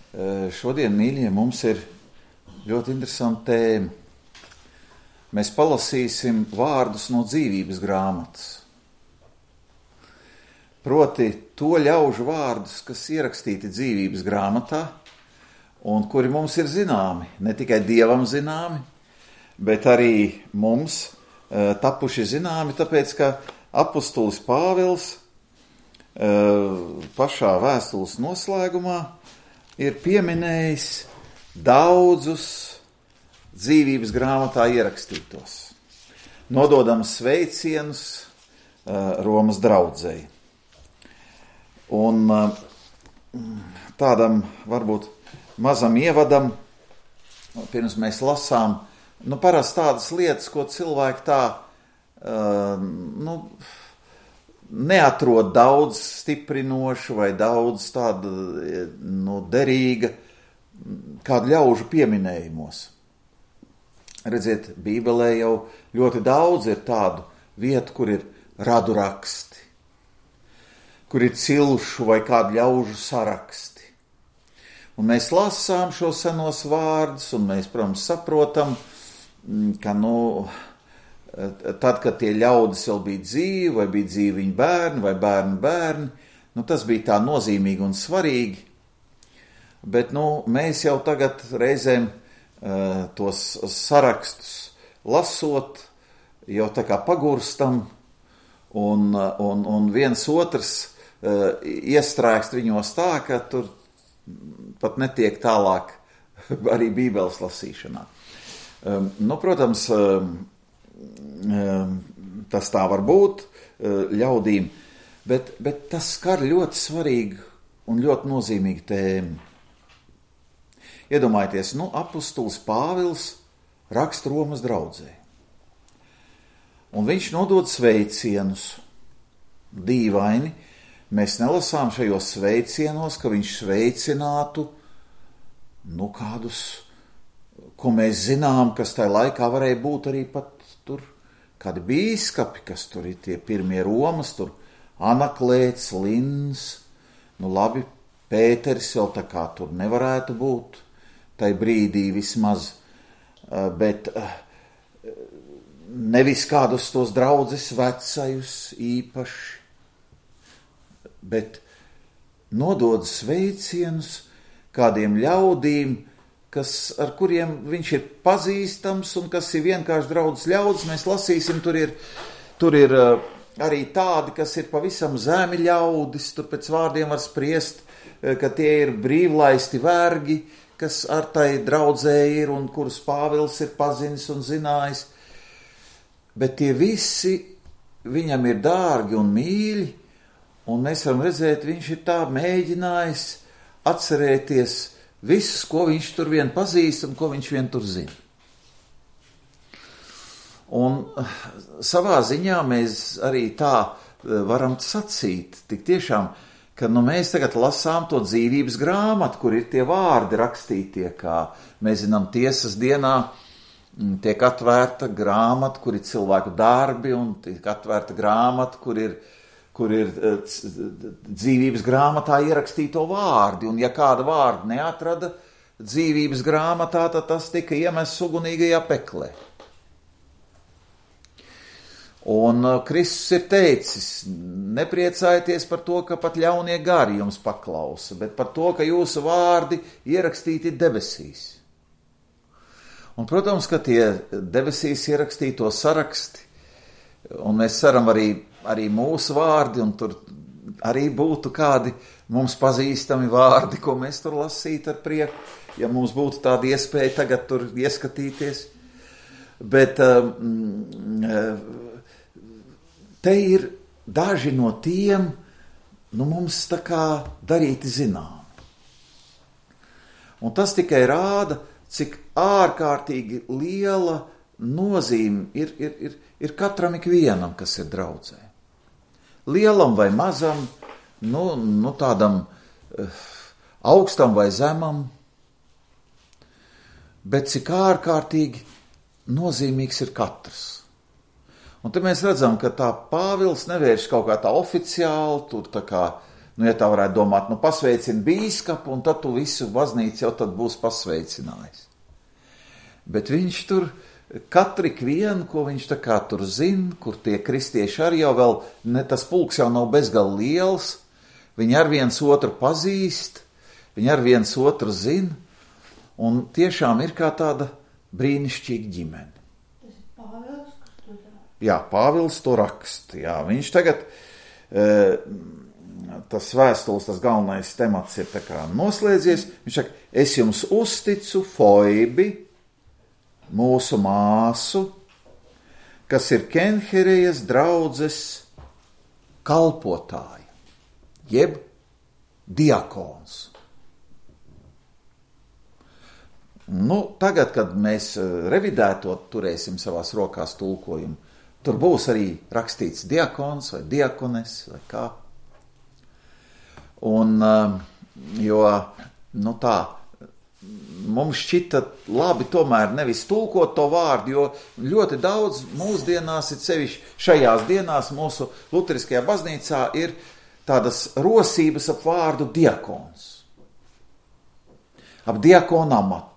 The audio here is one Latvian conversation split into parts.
Šodien, mīļie, mums ir ļoti interesanta tēma. Mēs palasīsim vārdus no dzīvības grāmatas. Proti to ļaužu vārdus, kas ierakstīti dzīvības grāmatā un kuri mums ir zināmi, ne tikai Dievam zināmi, bet arī mums tapuši zināmi, tāpēc, ka apustulis Pāvils pašā vēstules noslēgumā ir pieminējis daudzus dzīvības grāmatā ierakstītos, nododams sveicienus Romas draudzei. Un tādam varbūt mazam ievadam, pirms mēs lasām, parasti tādas lietas, ko cilvēki tā, neatrod daudz stiprinošu vai daudz tāda, derīga, kādu ļaužu pieminējumos. Redziet, Bībelē jau ļoti daudz ir tādu vietu, kur ir radu raksti, kur ir cilšu vai kādu ļaužu saraksti. Un mēs lasām šo senos vārdus, un mēs, protams, saprotam, ka, tad, kad tie ļaudis vēl bija dzīvi, vai bija dzīvi viņu bērni, vai bērni, tas bija tā nozīmīgi un svarīgi. Bet, mēs jau tagad reizēm tos sarakstus lasot, jau tā kā pagurstam, un viens otrs iestrēgst viņos tā, ka tur pat netiek tālāk arī Bībeles lasīšanā. Protams, tas tā var būt ļaudīm, bet tas skar ļoti svarīgu un ļoti nozīmīgu tēmu. Iedomājieties, apustulis Pāvils raksta Romas draudzei. Un viņš nodod sveicienus. Dīvaini, mēs nelasām šajos sveicienos, ka viņš sveicinātu, kādus, ko mēs zinām, kas tajā laikā varēja būt arī pat tur kādi bīskapi, kas tur ir tie pirmie Romas, tur Anaklēts, Lins, labi, Pēteris vēl tā kā tur nevarētu būt, tai brīdī vismaz, bet nevis kādus tos draudzes vecajus īpaši, bet nodod sveicienus kādiem ļaudīm, ar kuriem viņš ir pazīstams un kas ir vienkārši draudzes ļaudis. Mēs lasīsim, tur ir arī tādi, kas ir pavisam zemi ļaudis, tur pēc vārdiem var spriest, ka tie ir brīvlaisti vergi, kas ar tai draudzē ir un kurus Pāvils ir pazinis un zinājis. Bet tie visi viņam ir dārgi un mīļi, un mēs varam redzēt, viņš ir tā mēģinājis atcerēties visus, ko viņš tur vien pazīst un ko viņš vien tur zina. Un savā ziņā mēs arī tā varam sacīt, tik tiešām, ka mēs tagad lasām to dzīvības grāmatu, kur ir tie vārdi rakstītie, kā mēs zinām tiesas dienā, tiek atvērta grāmata, kur ir cilvēku darbi, un tiek atvērta grāmata, kur ir dzīvības grāmatā ierakstīto vārdi, un ja kāda vārda neatrada dzīvības grāmatā, tad tas tika iemests ugunīgajā peklē. Un Kristus ir teicis, nepriecājieties par to, ka pat ļaunie gari jums paklausa, bet par to, ka jūsu vārdi ierakstīti debesīs. Un, protams, ka tie debesīs ierakstīto saraksti, un mēs ceram arī mūsu vārdi, un tur arī būtu kādi mums pazīstami vārdi, ko mēs tur lasītu ar prieku, ja mums būtu tāda iespēja tagad tur ieskatīties. Bet te ir daži no tiem, mums tā kā darīti zinām. Un tas tikai rāda, cik ārkārtīgi liela nozīme ir katram ikvienam, kas ir draudzē. Lielam vai mazam, tādam augstam vai zemam, bet cik ārkārtīgi nozīmīgs ir katrs. Un te mēs redzam, ka tā Pāvils nevērš kaut kā tā oficiāli, tur tā kā ja tā varētu domāt, pasveicini bīskapu, un tad tu visu baznīcu jau tad būs pasveicinājis. Bet viņš tur, katru ikvienu, ko viņš tā kā tur zina, kur tie kristieši arī jau vēl, tas pulks jau nav bezgalīgi liels, viņi ar viens otru pazīst, viņi ar viens otru zina, un tiešām ir kā tāda brīnišķīga ģimene. Tas ir Pāvils, kas to dara? Jā, Pāvils to raksta, jā, viņš tagad, tas vēstules, tas galvenais temats ir tā kā noslēdzies, viņš saka, es jums uzticu Foibi, mūsu māsu, kas ir Kenherejas draudzes kalpotāja, jeb diakons. Tagad, kad mēs revidētot turēsim savās rokās tulkojumu, tur būs arī rakstīts diakons vai diakones vai kā. Un, jo, tā, mums šķita labi tomēr nevis tulkot to vārdu, jo ļoti daudz mūsdienās, ir sevišķi šajās dienās mūsu luteriskajā baznīcā ir tādas rosības ap vārdu diakons, ap diakonu amatu.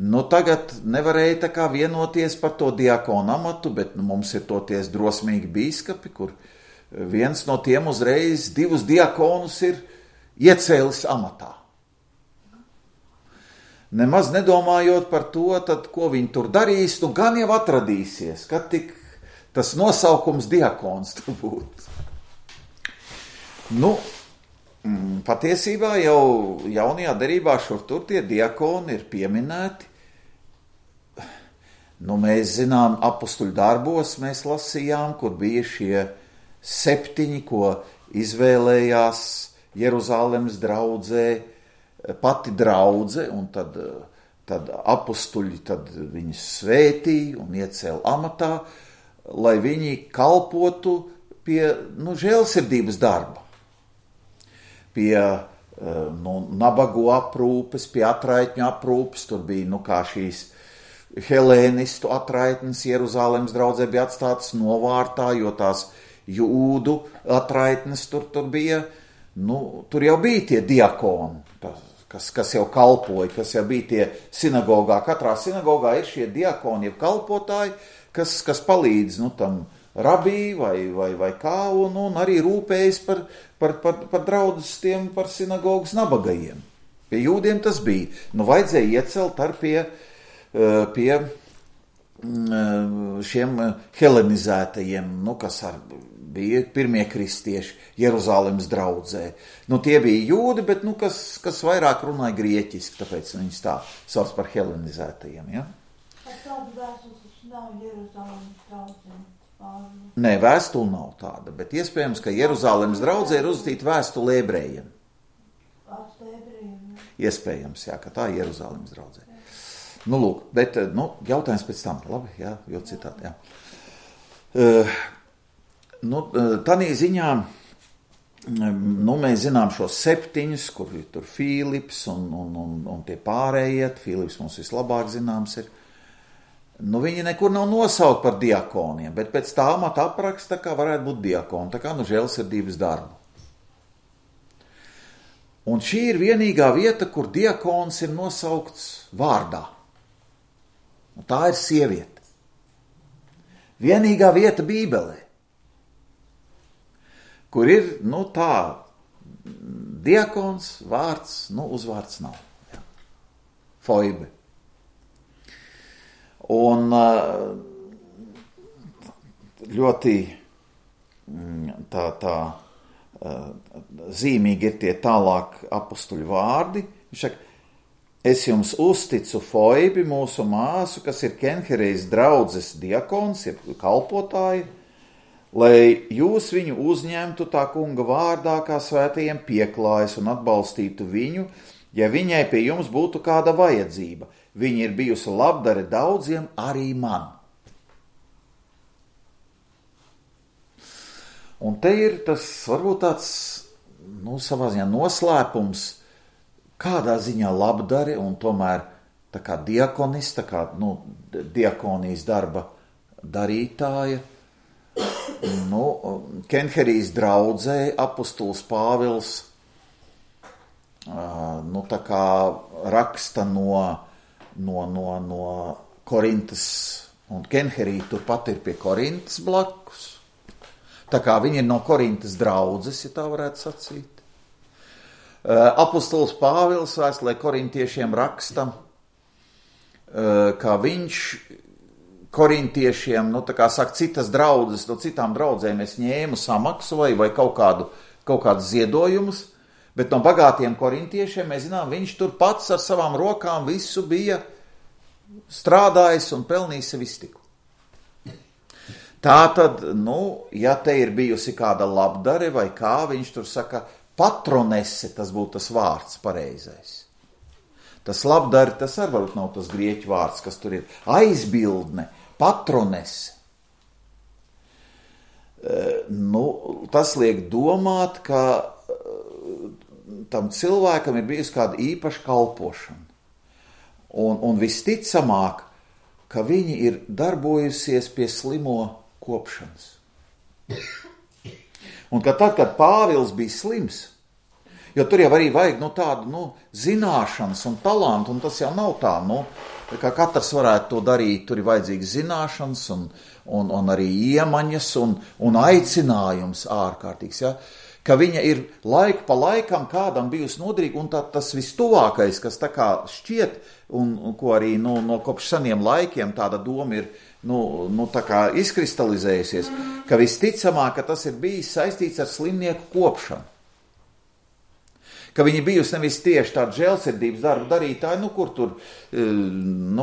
Tagad nevarēja tā kā vienoties par to diakonu amatu, bet mums ir toties drosmīgi bīskapi, kur viens no tiem uzreiz 2 diakonus ir iecēlis amatā. Nemaz nedomājot par to, tad, ko viņi tur darīs, gan jau atradīsies, kad tik tas nosaukums diakons tur būtu. Patiesībā jau jaunajā derībā šur tur tie diakoni ir pieminēti. Mēs zinām, apustuļu darbos mēs lasījām, kur bija šie 7, ko izvēlējās Jeruzalemes draudzē, pati draudze, un tad apustuļi viņus svētīja un iecēla amatā, lai viņi kalpotu pie žēlsirdības darba, pie nabagu aprūpes, pie atraitņu aprūpes, tur bija kā šīs helēnistu atraitnes Jeruzalemes draudzē bija atstātas novārtā, jo tās jūdu atraitnes tur bija, tur jau bija tie diakoni, kas jau kalpoja, kas jau bija tie sinagogā. Katrā sinagogā ir šie diakoni, jeb kalpotāji, kas palīdz tam rabī vai kā, un arī rūpējas par draudzes tiem, par sinagogas nabagajiem. Pie jūdiem tas bija. Vajadzēja iecelt ar pie šiem helenizētajiem, kas bija pirmie kristieši Jeruzalemes draudzē. Tie bija jūdi, bet kas vairāk runāja grieķiski, tāpēc viņus tā sauc par helenizētajiem. Ja? Tāda vēstules nav Jeruzalemes draudzē? Nē, vēstule nav tāda, bet iespējams, ka Jeruzalemes draudzē ir uzrakstīta vēstule ebrejiem. Iespējams, jā, ka tā ir Jeruzalemes draudzē. Lūk, bet, jautājums pēc tam, labi, jā, jo citādi, jā. Tanī ziņā, mēs zinām šos 7, kur ir tur Fīlips un tie pārējie, Fīlips mums vislabāk zināms ir. Viņi nekur nav nosaukt par diakoniem, bet pēc tā amata apraksta, kā varētu būt diakoni, tā kā žēlsirdības darbu. Un šī ir vienīgā vieta, kur diakons ir nosaukts vārdā. Un tā ir sieviete. Vienīgā vieta Bībelē, kur ir, tā, diakons, vārds, uzvārds nav. Jā. Foibe. Un ļoti tā zīmīgi ir tie tālāk apustuļu vārdi. Viņš saka, es jums uzticu Foibi, mūsu māsu, kas ir Kenherejas draudzes diakons, ir kalpotāji, lai jūs viņu uzņemtu tā kunga vārdā, kā svētajiem pieklājas un atbalstītu viņu, ja viņai pie jums būtu kāda vajadzība. Viņa ir bijusi labdare daudziem, arī man. Un te ir tas, varbūt tāds, savā ziņā noslēpums, kādā ziņā labdare un tomēr tā kā diakonis, tā kā, diakonijas darba darītāja, Kenherijas draudzē apostols Pāvils tā kā raksta no Korintas, un Kenherija turpat ir pie Korintas blakus. Tā kā viņi ir no Korintas draudzes, ja tā varētu sacīt. Apostols Pāvils vēstulē korintiešiem raksta, ka viņš korintiešiem, tā kā saka, citas draudzes, no citām draudzēm es ņēmu samaksu vai kaut kādus ziedojumus, bet no bagātiem korintiešiem, mēs zinām, viņš tur pats ar savām rokām visu bija strādājis un pelnījis sev iztiku. Tātad, ja te ir bijusi kāda labdare vai kā, viņš tur saka, patronese, tas būtu tas vārds pareizais. Tas labdare, tas arī varbūt nav tas grieķu vārds, kas tur ir. Aizbildne, patronese. Tas liek domāt, ka tam cilvēkam ir bijusi kāda īpaša kalpošana. Un visticamāk, ka viņi ir darbojusies pie slimo kopšanas. Un ka tad, kad Pāvils bija slims, jo tur jau arī vajag tādu zināšanas un talantu, un tas jau nav tā, kā katrs varētu to darīt, tur ir vajadzīgas zināšanas un arī iemaņas un aicinājums ārkārtīgs, ja? Ka viņa ir laiku pa laikam kādam bijusi noderīga, un tas vistuvākais, kas tā kā šķiet, un ko arī no kopš seniem laikiem tāda doma ir tā kā izkristalizējusies, ka visticamāk, ka tas ir bijis saistīts ar slimnieku kopšanu. Ka viņi bijusi nevis tieši tāda žēlsirdības darba darītāji, kur tur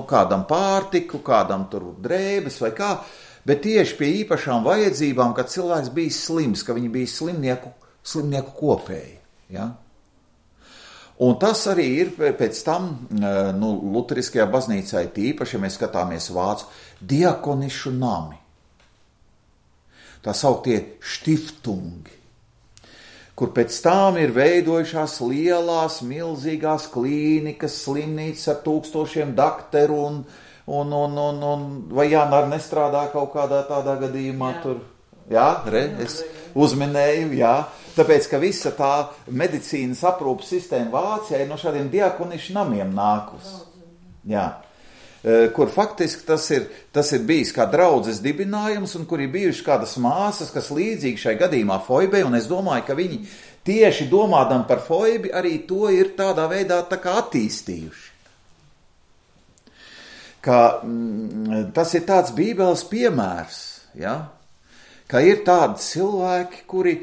kādam pārtiku, kādam tur drēbes vai kā, bet tieši pie īpašām vajadzībām, kad cilvēks bija slims, ka viņi bija slimnieku kopēji. Ja? Un tas arī ir pēc tam, luteriskajā baznīcā tīpaši, ja mēs skatāmies vācu, diakonišu nami. Tā sauktie štiftungi, kur pēc tam ir veidojušās lielās, milzīgās klīnikas, slimnīcas ar 1000 dakteru vai Jānar nestrādā kaut kādā tādā gadījumā tur. Jā, es uzminēju, jā. Tāpēc, ka visa tā medicīnas aprūpas sistēma Vācijā ir no šādiem diakonišu namiem nākus. Jā. Kur faktiski tas ir bijis kā draudzes dibinājums, un kur ir bijuši kādas māsas, kas līdzīgi šai gadījumā Foibei, un es domāju, ka viņi tieši domādam par Foibi arī to ir tādā veidā tā kā attīstījuši. Ka tas ir tāds Bībeles piemērs, ja? Ka ir tādi cilvēki, kuri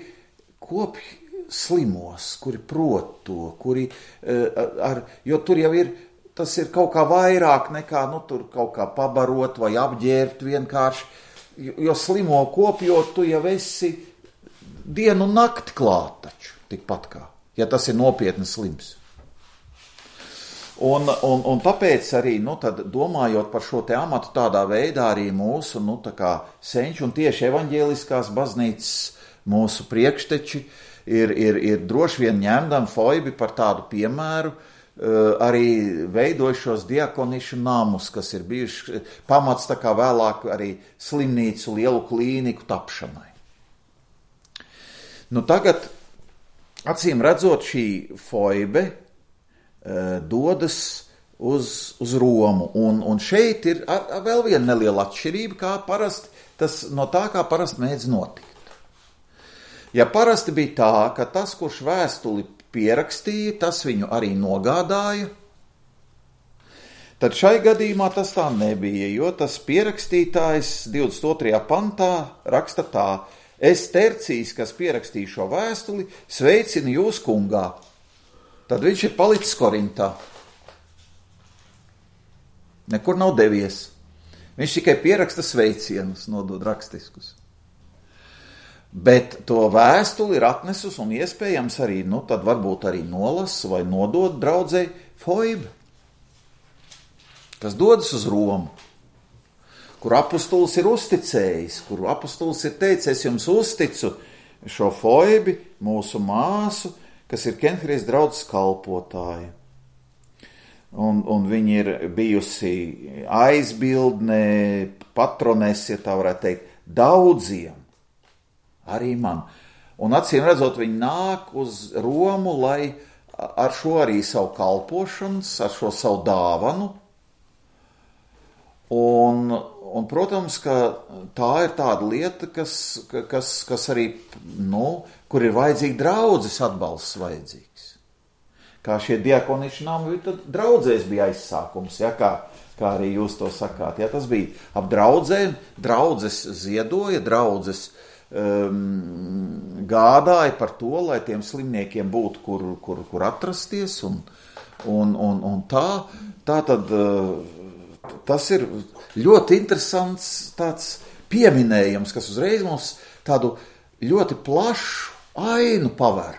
kopj slimos, kuri prot to, jo tur jau ir, tas ir kaut kā vairāk nekā, tur kaut kā pabarot vai apģērbt vienkārši, jo slimo kopjot, tu jau esi dienu un nakti klāt taču, tikpat kā, ja tas ir nopietni slims. Un tāpēc arī, tad domājot par šo te amatu tādā veidā arī mūsu, tā kā senči un tieši evaņģēliskās baznīcas mūsu priekšteči ir droši vien ņemdami Foibi par tādu piemēru, arī veidojušos diakonišu namus, kas ir bijuši pamats tā kā vēlāk arī slimnīcu, lielu klīniku tapšanai. Tagad, acīm redzot, šī Foibe dodas uz Romu, un šeit ir vēl viena neliela atšķirība, kā parasti mēdz notikt. Ja parasti bija tā, ka tas, kurš vēstuli pierakstīja, tas viņu arī nogādāja, tad šai gadījumā tas tā nebija, jo tas pierakstītājs 22. pantā raksta tā: es Tercijs, kas pierakstīju šo vēstuli, sveicinu jūs kungā. Tad viņš ir palicis Korintā. Nekur nav devies. Viņš tikai pieraksta sveicienus, nodod rakstiskus. Bet to vēstuli ir atnesus un iespējams arī, tad varbūt arī nolasa vai nodod draudzei Foibe, kas dodas uz Romu, kur apostols ir uzticējis, kur apostols ir teicis, es jums uzticu šo Foibi, mūsu māsu, kas ir Kenherijas draudzes kalpotāja. Un viņi ir bijusi aizbildne, patronese, ja tā varētu teikt, daudziem, arī man. Un acīm redzot, viņi nāk uz Romu, lai ar šo arī savu kalpošanas, ar šo savu dāvanu. Un protams, ka tā ir tāda lieta, kas arī, kur ir vajadzīgi draudzes atbalsts vajadzīgs. Kā šie diakoniši nami, tad draudzēs bija aizsākums, ja, kā arī jūs to sakāt. Ja, tas bija ap draudzēm, draudzes ziedoja, draudzes gādāja par to, lai tiem slimniekiem būtu, kur atrasties, un tā tad tas ir ļoti interesants tāds pieminējums, kas uzreiz mums tādu ļoti plašu ainu paver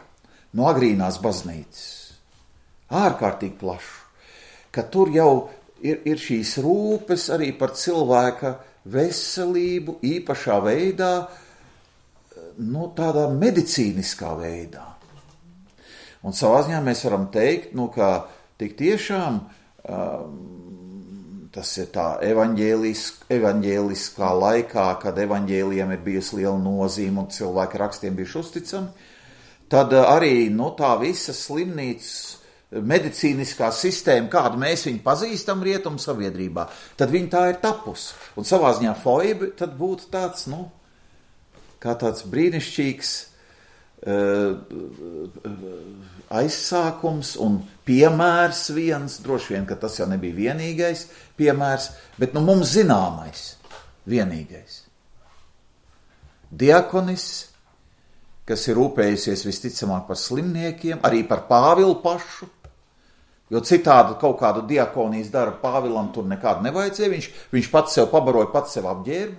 no agrīnās baznīcas. Ārkārtīgi plašu, ka tur jau ir šīs rūpes arī par cilvēka veselību īpašā veidā, tādā medicīniskā veidā. Un savā ziņā mēs varam teikt, ka tik tiešām tas ir tā evaņģēliskā laikā, kad evaņģēlijam ir bijusi liela nozīme un cilvēki rakstiem bijuši uzticami, tad arī tā visa slimnīcas medicīniskā sistēma, kādu mēs viņu pazīstam rietumu sabiedrībā, tad viņa tā ir tapusi. Un savā ziņā Foibe tad būtu tāds, kā tāds brīnišķīgs aizsākums un piemērs viens, droši vien, ka tas jau nebija vienīgais piemērs, bet mums zināmais vienīgais. Diakonis, kas ir rūpējusies visticamāk par slimniekiem, arī par Pāvilu pašu, jo citādi kaut kādu diakonijas darbu Pāvilam tur nekādu nevajadzēja, viņš pats sev pabaroja, pats sev apģērba.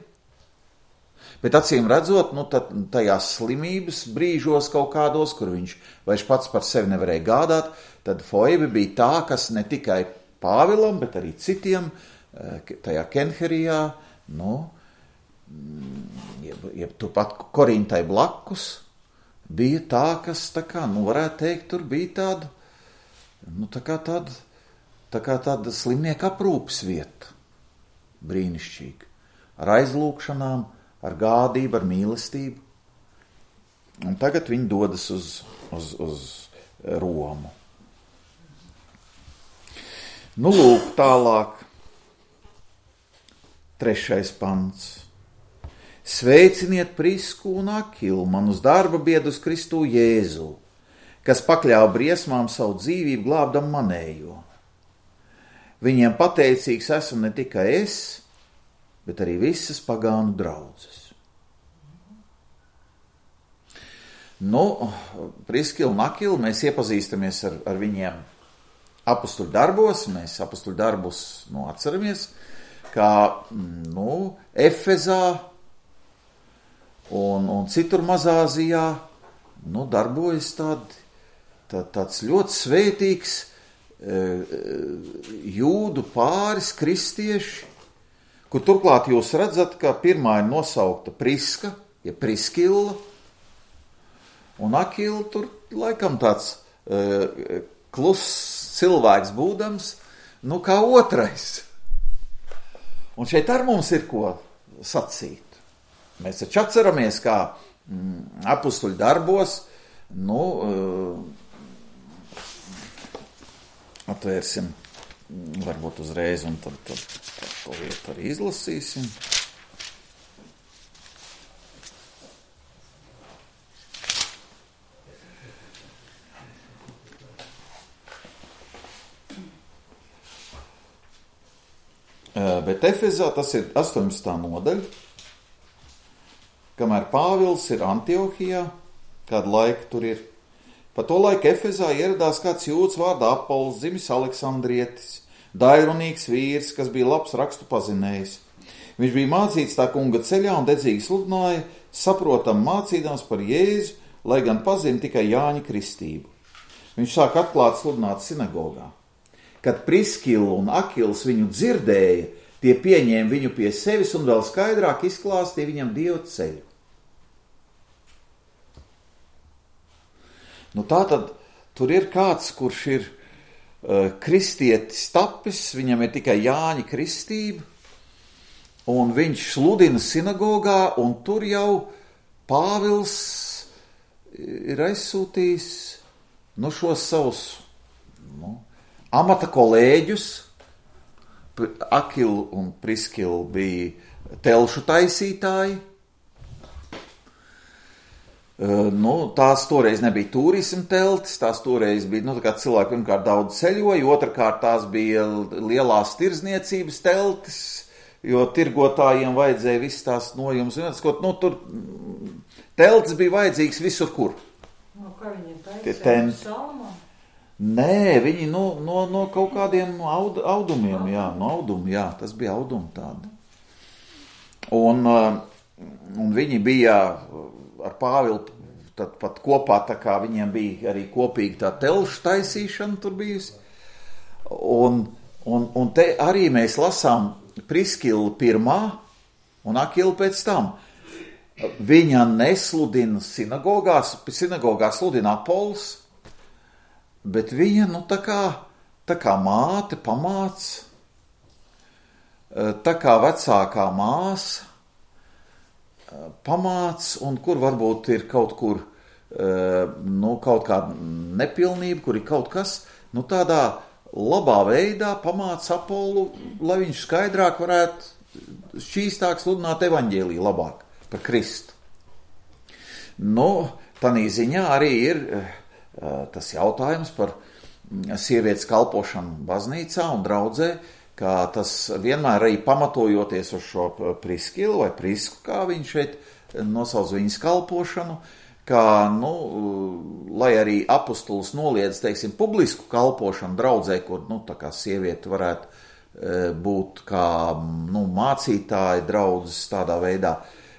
Bet acīm redzot, tad tajās slimības brīžos kaut kādos, kur viņš vairs pats par sevi nevarēja gādāt, tad Foibe bija tā, kas ne tikai Pāvilam, bet arī citiem tajā Kenherijā, jeb turpat Korintai blakus, bija tā, kas varētu teikt, tur bija tāda slimnieka aprūpes vieta, brīnišķīga, ar aizlūkšanām, ar gādību, ar mīlestību. Un tagad viņi dodas uz Romu. Lūk, tālāk. 3. pants. Sveiciniet Prisku un Akilu, manus darba biedrus Kristu Jēzu, kas pakļāva briesmām savu dzīvību glābdam manējo. Viņiem pateicīgs esmu ne tikai es, bet arī visas pagānu draudzes. Priskila un Akila, mēs iepazīstamies ar viņiem apustuļu darbos, mēs apustuļu darbus atceramies, kā Efezā un citur Mazāzijā darbojas tāds ļoti svētīgs jūdu pāris kristieši, kur turklāt jūs redzat, ka pirmā ir nosaukta Priska, ja Priskila, un Akila tur laikam tāds kluss cilvēks būdams, kā otrais. Un šeit ar mums ir ko sacīt. Mēs taču atceramies, kā apustuļu darbos, atvērsim varbūt uzreiz, un tad to vietu arī izlasīsim. Bet Efezā tas ir 18. nodaļa, kamēr Pāvils ir Antiohijā, kādu laiku tur ir. Pa to laiku Efezā ieradās kāds jūds vārdā Apols, dzimis Aleksandrietis, dairunīgs vīrs, kas bija labs rakstu pazinējis. Viņš bija mācīts tā kunga ceļā un dedzīgi sludināja, saprotam mācīdams par Jēzu, lai gan pazina tikai Jāņa kristību. Viņš sāk atklāt sludināt sinagogā. Kad Priskila un Akils viņu dzirdēja, tie pieņēma viņu pie sevis un vēl skaidrāk izklāstīja viņam Dieva ceļu. Tātad tur ir kāds, kurš ir kristietis tapis, viņam ir tikai Jāņa kristība, un viņš sludina sinagogā, un tur jau Pāvils ir aizsūtījis šos savus amata kolēģus. Akilu un Priskilu bija telšu taisītāji. Tās toreiz nebija turisma teltis, tās toreiz bija, tā kā cilvēki pirmkārt daudz ceļoja, otrkārt tās bija lielās tirzniecības teltis, jo tirgotājiem vajadzēja visas tās nojumus. Tur teltis bija vajadzīgs visur, kur. Kā viņiem taisīja? Salmā? Nē, viņi no kaut kādiem audumiem, tas bija audumi tādi. Un viņi bija ar Pāvilu tad pat kopā, tā kā viņiem bija arī kopīgi tā telšu taisīšana tur bijusi. Un te arī mēs lasām Priskilu pirmā un Akilu pēc tam. Viņa nesludina sinagogās sludina Apols, bet viņa, tā kā māte pamāca, tā kā vecākā māsa pamāca, un kur varbūt ir kaut kur, kaut kāda nepilnība, kur ir kaut kas, tādā labā veidā pamāca Apolu, lai viņš skaidrāk varētu šķīstāk sludināt evaņģēliju labāk par Kristu. Tanī ziņā arī ir tas jautājums par sievietes kalpošanu baznīcā un draudzē, kā tas vienmēr arī pamatojoties uz šo Priskilu vai Prisku, kā viņš šeit nosauc viņas kalpošanu, kā, lai arī apostols noliedz, publisku kalpošanu draudzē, kur, tā kā sieviete varētu būt kā, mācītāji draudzes tādā veidā.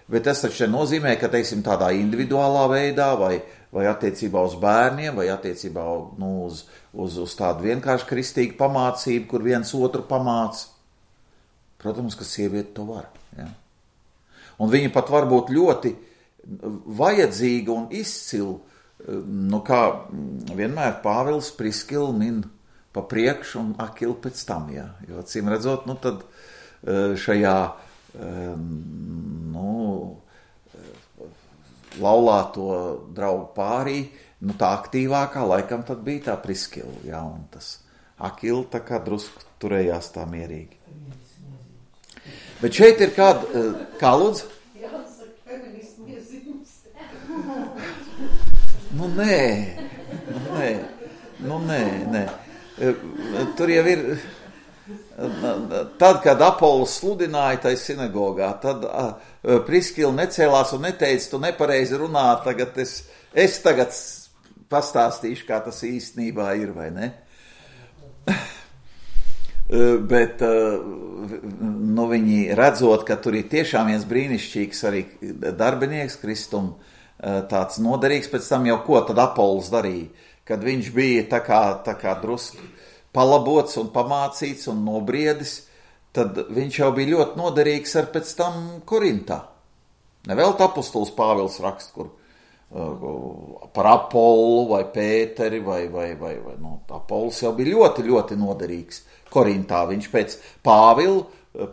Bet tas taču nozīmē, ka, tādā individuālā veidā vai attiecībā uz bērniem, vai attiecībā uz tādu vienkārši kristīgu pamācību, kur viens otru pamāca. Protams, ka sieviete to var. Ja? Un viņa pat var būt ļoti vajadzīga un izcila, kā vienmēr Pāvils Priskilu min pa priekšu un Akilu pēc tam. Ja? Jo, acīm redzot, tad šajā laulāto draugu pārī, tā aktīvākā laikam tad bija tā Priskila, ja, un tas Akila tā kā drusku turējās tā mierīgi. Bet šeit ir kā lūdzu? Jāsaka, feministu iezīmes. Nē. Tur jau ir, tad, kad Apols sludināja tai sinagogā, tad Priskila necēlās un neteica, tu nepareizi runā, tagad es tagad pastāstīšu, kā tas īstenībā ir, vai ne? Bet viņi redzot, ka tur ir tiešām viens brīnišķīgs arī darbinieks, Kristum tāds noderīgs, pēc tam jau ko tad Apols darīja, kad viņš bija tā kā drusku palabots un pamācīts un nobriedis, tad viņš jau bija ļoti noderīgs ar pēc tam Korintā. Nevēlt apostols Pāvils rakst, kur par Apolu vai Pēteri vai Apols jau bija ļoti, ļoti noderīgs Korintā. Viņš pēc Pāvila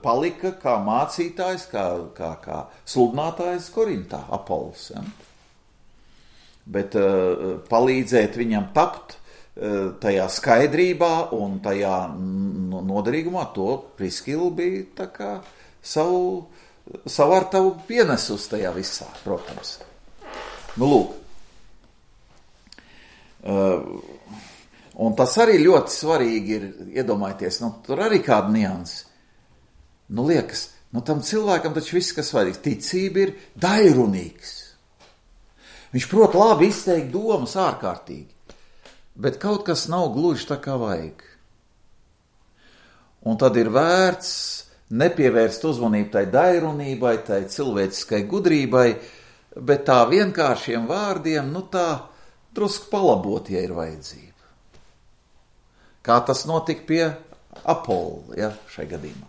palika kā mācītājs, kā sludinātājs Korintā, Apols. Ja? Bet palīdzēt viņam tapt tajā skaidrībā un tajā noderīgumā, to Priskila bija tā kā savu ar tavu pienesus tajā visā, protams. Lūk. Un tas arī ļoti svarīgi ir iedomājieties, tur arī kāda nianses. Liekas, tam cilvēkam taču viss, kas vajadzīgs, ticība ir dairunīgs. Viņš prot labi izteikt domas ārkārtīgi. Bet kaut kas nav gluži tā kā vajag. Un tad ir vērts nepievērst uzmanību tai dairunībai, tai cilvēciskai gudrībai, bet tā vienkāršiem vārdiem, tā drusku palabot, ja ir vajadzība. Kā tas notika pie Apola, ja, šai gadījumā.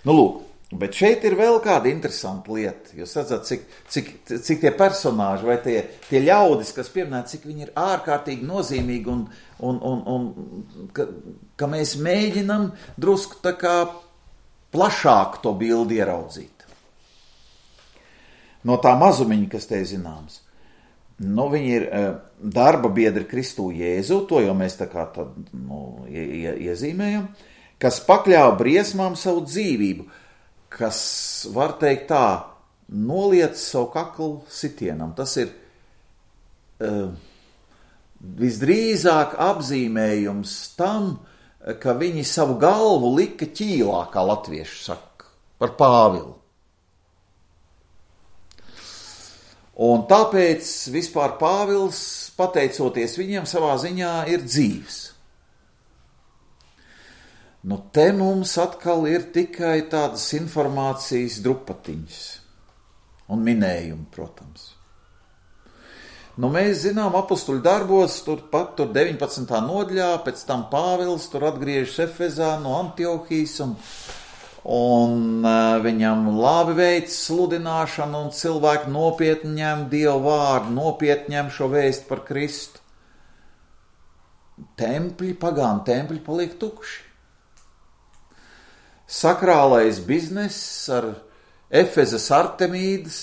Lūk, bet šeit ir vēl kāda interesanta lieta. Jūs redzat, cik tie personāži vai tie ļaudis, kas pieminēti, cik viņi ir ārkārtīgi nozīmīgi un ka mēs mēģinam drusku tā kā plašāk to bildi ieraudzīt. No tā mazumiņa, kas te zināms. Viņi ir darba biedri Kristū Jēzu, to jau mēs tā kā tad, iezīmējam, kas pakļāva briesmām savu dzīvību, kas, var teikt tā, noliec savu kaklu sitienam. Tas ir visdrīzāk apzīmējums tam, ka viņi savu galvu lika ķīlā, kā latvieši saka, par Pāvilu. Un tāpēc vispār Pāvils, pateicoties viņiem, savā ziņā ir dzīvs. Te mums atkal ir tikai tādas informācijas drupatiņas un minējumi, protams. Mēs zinām apustuļu darbos, tur 19. nodaļā, pēc tam Pāvils tur atgriežas Efezā no Antiohijas un viņam labi veids sludināšanu un cilvēki nopietni ņem Dievu vārdu, nopietni ņem šo vēstu par Kristu. Pagānu tempļi paliek tukši. Sakrālais bizness ar Efezas Artemīdas,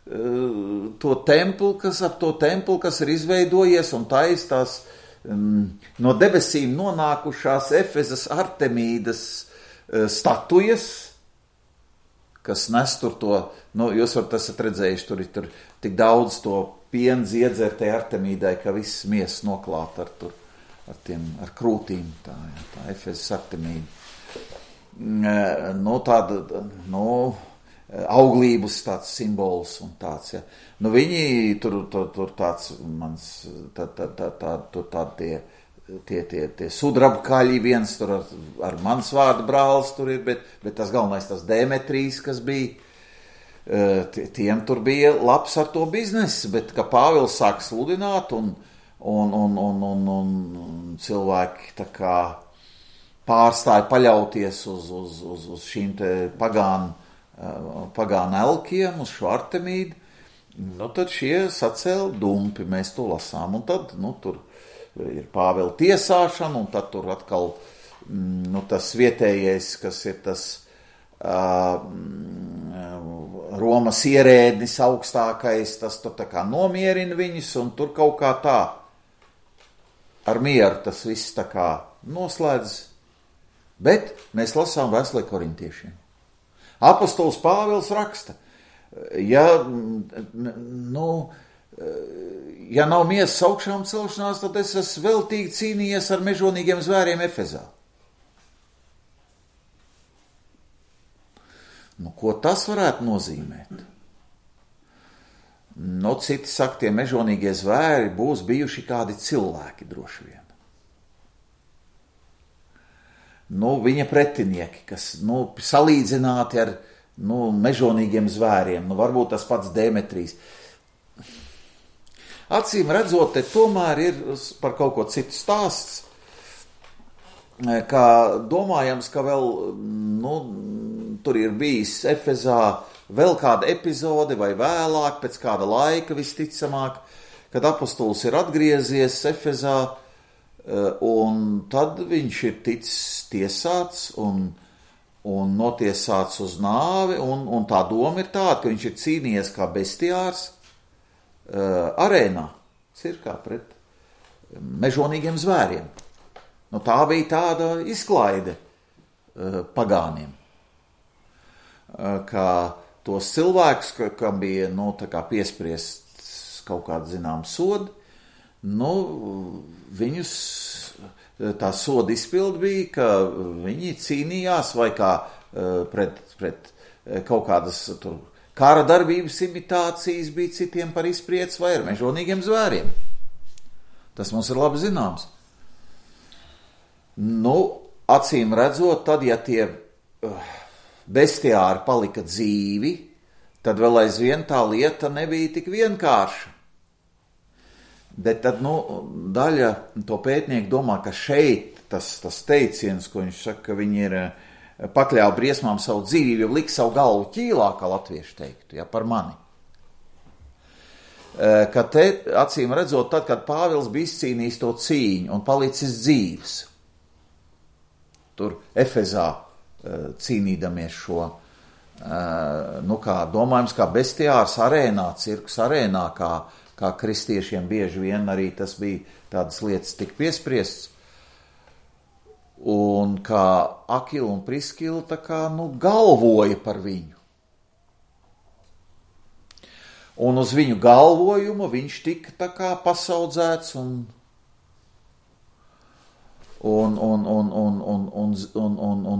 to templi, kas ir izveidojies un taistās no debesīm nonākušās Efezas Artemīdas statujas, kas nes tur to, jūs varat esat redzējuši, tur ir tik daudz to pienz iedzertai Artemīdai, ka viss miesas noklāt ar krūtīm, tā Efezas Artemīda. Auglības tāds simbols un tāds, ja. Viņi tur tāds tie sudrabkaļi, viens tur ar mans vārdu brālis tur ir, bet tas galvenais tas Demetrijs, kas bija, tiem tur bija labs ar to biznesu, bet ka Pāvils sāk sludināt un cilvēki tā kā pārstāja paļauties uz šīm te pagānu elkiem, uz šo Artemīdu, tad šie sacēla dumpi, mēs to lasām, un tad, tur ir Pāvila tiesāšana, un tad tur atkal, tas vietējais, kas ir tas Romas ierēdnis augstākais, tas tur tā kā nomierina viņus, un tur kaut kā tā, ar mieru tas viss tā kā noslēdz, bet mēs lasām vēstulē korintiešiem. Apostols Pāvils raksta, ja nav miesas augšām celšanās, tad es esmu veltīgi cīnījies ar mežonīgiem zvēriem Efezā. Ko tas varētu nozīmēt? Citi saka, tie mežonīgie zvēri būs bijuši kādi cilvēki droši vien. Viņa pretinieki, kas salīdzināti ar mežonīgiem zvēriem, varbūt tas pats Demetrijs. Acīm redzot, te tomēr ir par kaut ko citu stāsts, kā domājams, ka vēl tur ir bijis Efezā vēl kāda epizode vai vēlāk, pēc kāda laika visticamāk, kad apostols ir atgriezies Efezā, un tad viņš ir ticis tiesāts un notiesāts uz nāvi, un tā doma ir tāda, ka viņš ir cīnījies kā bestiārs arēnā, cirkā pret mežonīgiem zvēriem. Tā bija tāda izklaide pagāniem, ka tos cilvēkus, kam bija tā kā piespriests kaut kāda zinām sodi, viņus tā soda izpildi bija, ka viņi cīnījās vai kā pret kaut kādas tur kara darbības imitācijas bija citiem par izpriec vai ar mežonīgiem zvēriem. Tas mums ir labi zināms. Acīm redzot, tad, ja tie bestiāri palika dzīvi, tad vēl aizvien tā lieta nebija tik vienkārša. Bet tad, daļa to pētnieku domā, ka šeit tas teiciens, ko viņš saka, ka viņi ir pakļāva briesmām savu dzīvību, jo lika savu galvu ķīlā, kā latvieši teiktu, par mani. Ka te, acīm redzot, tad, kad Pāvils bija izcīnījis to cīņu un palicis dzīvs, tur Efezā cīnīdamies šo, kā domājams, kā bestiārs arēnā, cirkus arēnā, kā kristiešiem bieži vien arī tas bija tādas lietas tik piespriests. Un kā Akila un Priskila tā kā, galvoja par viņu. Un uz viņu galvojumu viņš tika tā kā pasaudzēts un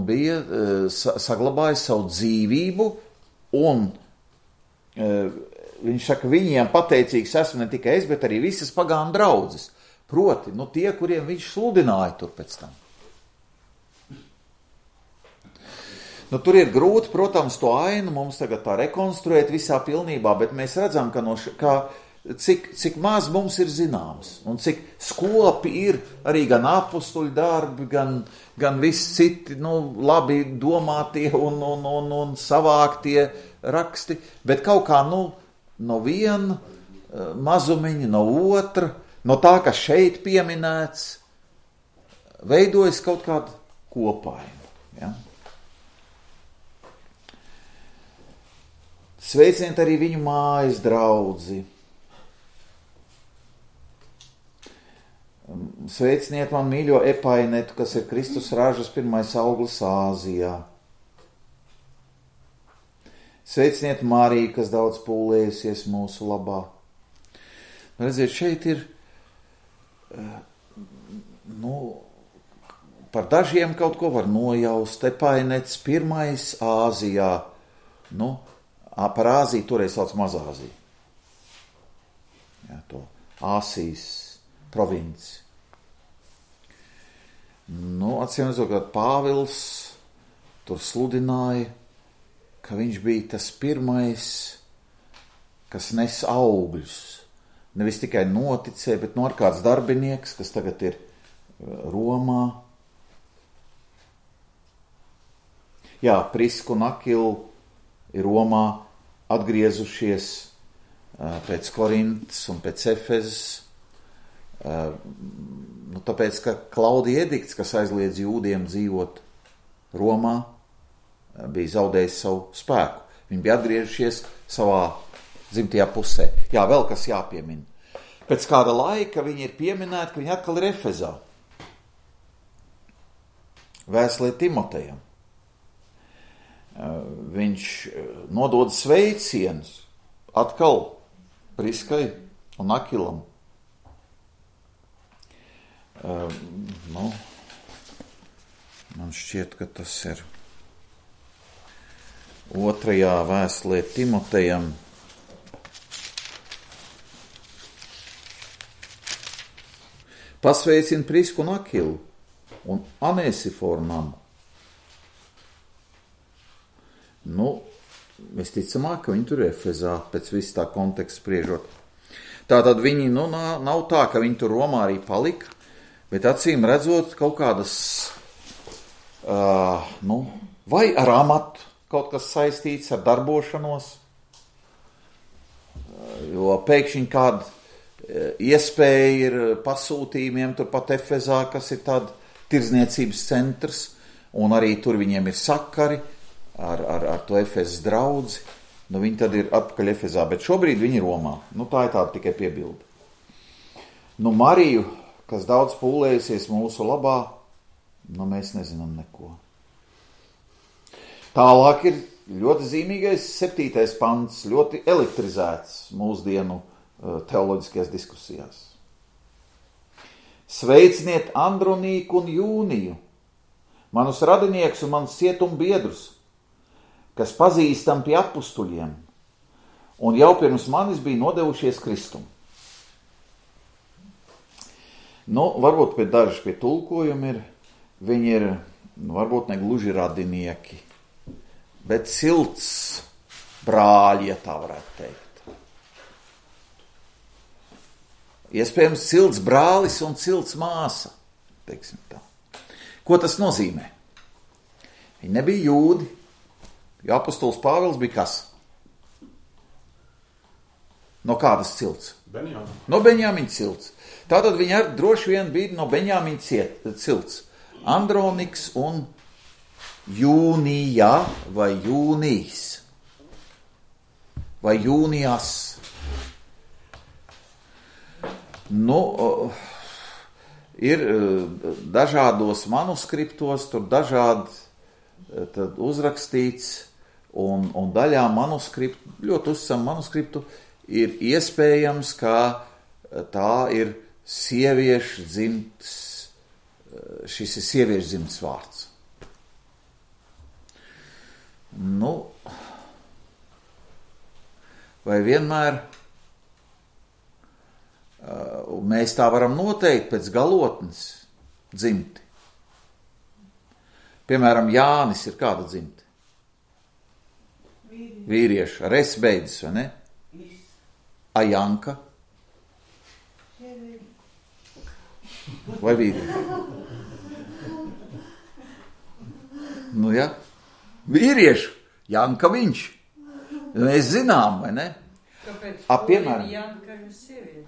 bija saglabājis savu dzīvību, un viņš saka, viņiem pateicīgs esmu ne tikai es, bet arī visas pagānu draudzes. Proti, tie, kuriem viņš sludināja tur pēc tam. Tur ir grūti, protams, to ainu mums tagad tā rekonstruēt visā pilnībā, bet mēs redzam, cik maz mums ir zināms, un cik skopi ir arī gan apustuļu darbi, gan visi citi, labi domātie un savāktie raksti, bet kaut kā, no viena mazumiņa, no otra, no tā, kas šeit pieminēts, veidojas kaut kāda kopaina, ja? Sveiciniet arī viņu mājas draudzi. Sveiciniet man mīļo Epainetu, kas ir Kristus ražas pirmais auglis Āzijā. Sveiciniet Mariju, kas daudz pūlējusies mūsu labā. Redziet, šeit ir, par dažiem kaut ko var nojaust. Epainets pirmais Āzijā, par Āziju toreiz sauc Mazāziju. Jā, to Āsijas provinci. Atcīmredzot, ka Pāvils tur sludināja, ka viņš bija tas pirmais, kas nes augļus. Nevis tikai noticēja, bet ar kāds darbinieks, kas tagad ir Romā. Jā, Priska un Akila ir Romā atgriezušies pēc Korintas un pēc Efezes, tāpēc, ka Klaudija edikts, kas aizliedz jūdiem dzīvot Romā, bija zaudējis savu spēku. Viņi bija atgriežušies savā dzimtajā pusē. Jā, vēl kas jāpiemina. Pēc kāda laika viņi ir pieminēti, ka viņi atkal ir Efezā. Vēstulē Timotejam. Viņš nodod sveicienus atkal Priskai un Akilam. Man šķiet, ka tas ir 2. vēstulē Timotejam. Pasveicina Prisku un Akilu un Anēsiforu namu. Visticamāk, ka viņi tur ir Efezā, pēc visu tā konteksta spriežot. Tātad viņi, nav tā, ka viņi tur Romā arī palika, bet acīm redzot kaut kādas, vai ar amatu kaut kas saistīts, ar darbošanos, jo pēkšņi kāda iespēja ir pasūtījumiem turpat Efezā, kas ir tāda tirdzniecības centrs, un arī tur viņiem ir sakari, ar to Efezas draudzi, viņi tad ir atpakaļ Efezā, bet šobrīd viņi ir Romā. Tā ir tāda tikai piebilde. Mariju, kas daudz pūlējusies mūsu labā, mēs nezinām neko. Tālāk ir ļoti zīmīgais 7. pants, ļoti elektrizēts mūsdienu teoloģiskajās diskusijās. Sveiciniet Andronīku un Jūniju, manus radiniekus un manus cietumbiedrus, kas pazīstam pie apustuļiem, un jau pirms manis bija nodevušies Kristum. Varbūt pie daži pie tulkojumi ir, viņi ir, varbūt ne gluži radinieki, bet silts brāļi, ja tā varētu teikt. Iespējams, silts brālis un silts māsa, teiksim tā. Ko tas nozīmē? Viņi nebija jūdi, jo apostols Pāvils bija kas? No kādas cilts? No Benjamina cilts. Tātad viņi droši vien bija no Benjamina cilts. Androniks un jūnija vai jūnijas vai jūnijas. Nu, ir dažādos manuskriptos, tur dažādi tad uzrakstīts, un daļā manuskriptu, ļoti uzticam manuskriptu, ir iespējams, ka tā ir sieviešu dzimts, šis ir sieviešu dzimts vārds. Nu, vai vienmēr mēs tā varam noteikt pēc galotnes dzimti? Piemēram, Jānis ir kāda dzimte? Vīrieši. Ar es beidzas, vai ne? A Janka? Vai vīrieši? Nu, ja? Vīrieši. Janka viņš. Mēs zinām, vai ne? Kāpēc piemēram, Janka ir sieviete?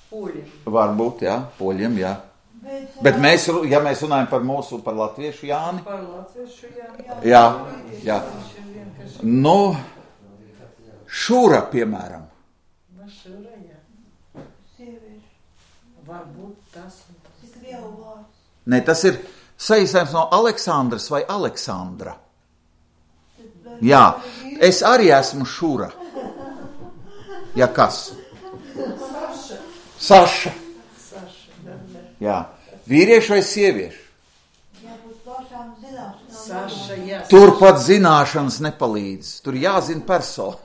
Poļiem. Varbūt, jā, poļiem, jā. Bet mēs, ja mēs runājam par latviešu Jāni. Par latviešu Jāni. Jā. Nu, Šura, piemēram. Šura, jā. Sieviešu. Varbūt tas. Cik lielu vārds. Ne, tas ir saīsinājums no Aleksandras vai Aleksandra. Jā, es arī esmu Šura. Ja kas? Saša. Jā. Vīrieši vai sievieši? Jābūt pašām zināšanām. Saša, jā. Tur pat zināšanas nepalīdz. Tur jāzina persona.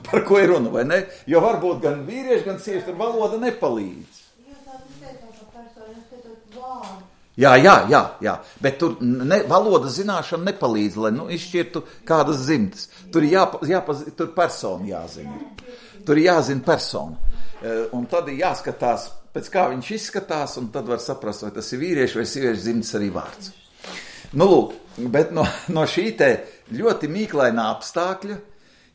Par ko ir runa, vai ne? Jo varbūt gan vīrieši, gan sievieši, tur valoda nepalīdz. Jūs tādu teicāt par personu, jūs teicāt vārdu. Jā. Bet tur valoda zināšana nepalīdz, lai izšķirtu kādas dzimtas. Tur tur persona jāzina. Tur jāzina persona. Un tad ir jāskatās, pēc kā viņš izskatās, un tad var saprast, vai tas ir vīrieši vai sieviešu dzimtas arī vārds. Nu, lūk, bet no šī te ļoti mīklainā apstākļa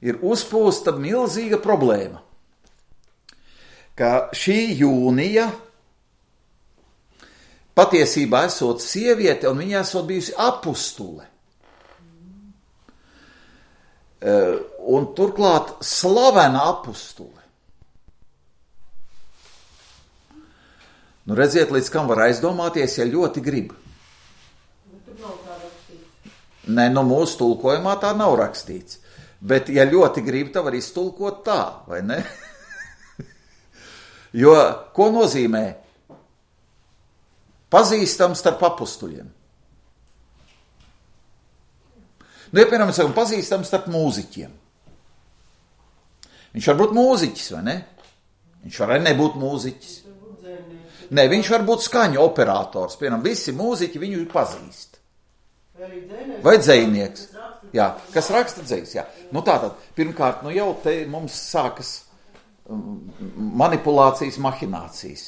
ir uzpūsta milzīga problēma, ka šī Jūnija patiesībā esot sieviete, un viņa esot bijusi apustule. Un turklāt slavena apustule. Nu, redziet, līdz kam var aizdomāties, ja ļoti grib. Tur nav tā rakstīts. Nē, mūsu tulkojumā tā nav rakstīts. Bet, ja ļoti grib, tā var iztulkot tā, vai ne? Jo, ko nozīmē? Pazīstams starp apustuļiem. Nu, ja, piemēram, mēs sakam, pazīstams starp mūziķiem. Viņš var būt mūziķis, vai ne? Viņš var arī nebūt mūziķis. Nē, viņš var būt skaņu operators. Piemēram, visi mūziķi viņu pazīst. Vai dzejnieks. Jā, kas raksta dzejs, jā. Nu tātad, pirmkārt, jau te mums sākas manipulācijas, mahinācijas.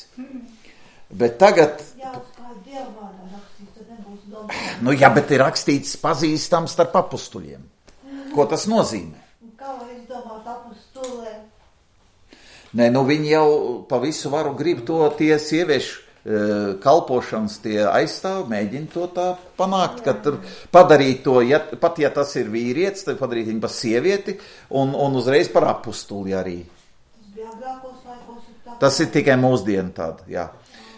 Bet tagad... Jā, kā dievvārdā rakstīts, tad nebūs domāts. Nu jā, bet ir rakstīts pazīstams starp apustuļiem. Ko tas nozīmē? Kā var izdomāt apustulē? Nē, viņi jau pa visu varu grib to tie sieviešu kalpošanas tie aizstāv, mēģina to tā panākt, ka tur padarīt to, pat ja tas ir vīrietis, tad padarīt viņu par sievieti un uzreiz par apustuli arī. Tas bija agrākos laikos. Tas ir tikai mūsdienu tāda, jā.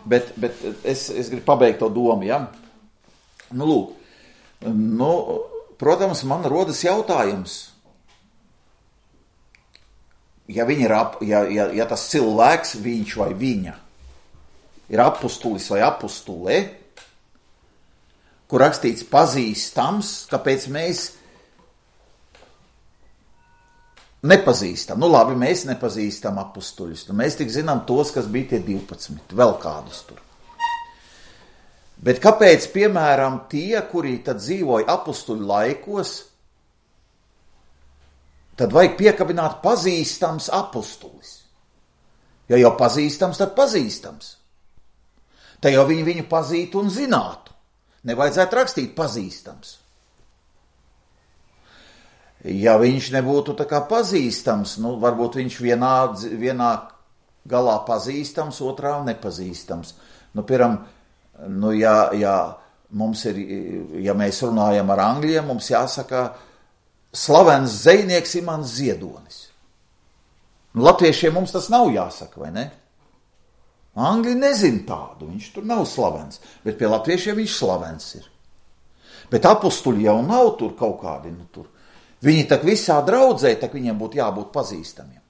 Bet es gribu pabeigt to domu, jā. Nu, lūk, protams, man rodas jautājums. Ja tas cilvēks, viņš vai viņa, ir apustulis vai apustulē, kur rakstīts pazīstams, kāpēc mēs nepazīstam. Nu labi, mēs nepazīstam apustuļus. Nu, mēs tik zinām tos, kas bija tie 12, vēl kādus tur. Bet kāpēc, piemēram, tie, kuri tad dzīvoja apustuļu laikos, tad vajag piekabināt pazīstams apustulis. Ja jau pazīstams, tad pazīstams. Tad jau viņu pazītu un zinātu. Nevajadzētu rakstīt pazīstams. Ja viņš nebūtu tā kā pazīstams, varbūt viņš vienā galā pazīstams, otrā nepazīstams. Piemēram, ja mums ir, ja mēs runājam ar angļiem, mums jāsaka slavens zvejnieks Imants Ziedonis. Latviešiem mums tas nav jāsaka, vai ne? Angļi nezin tādu, viņš tur nav slavens, bet pie latviešiem viņš slavens ir. Bet apustuļi jau nav tur kaut kādi, tur. Viņi tak visā draudzē, tak viņiem būtu jābūt pazīstamiem.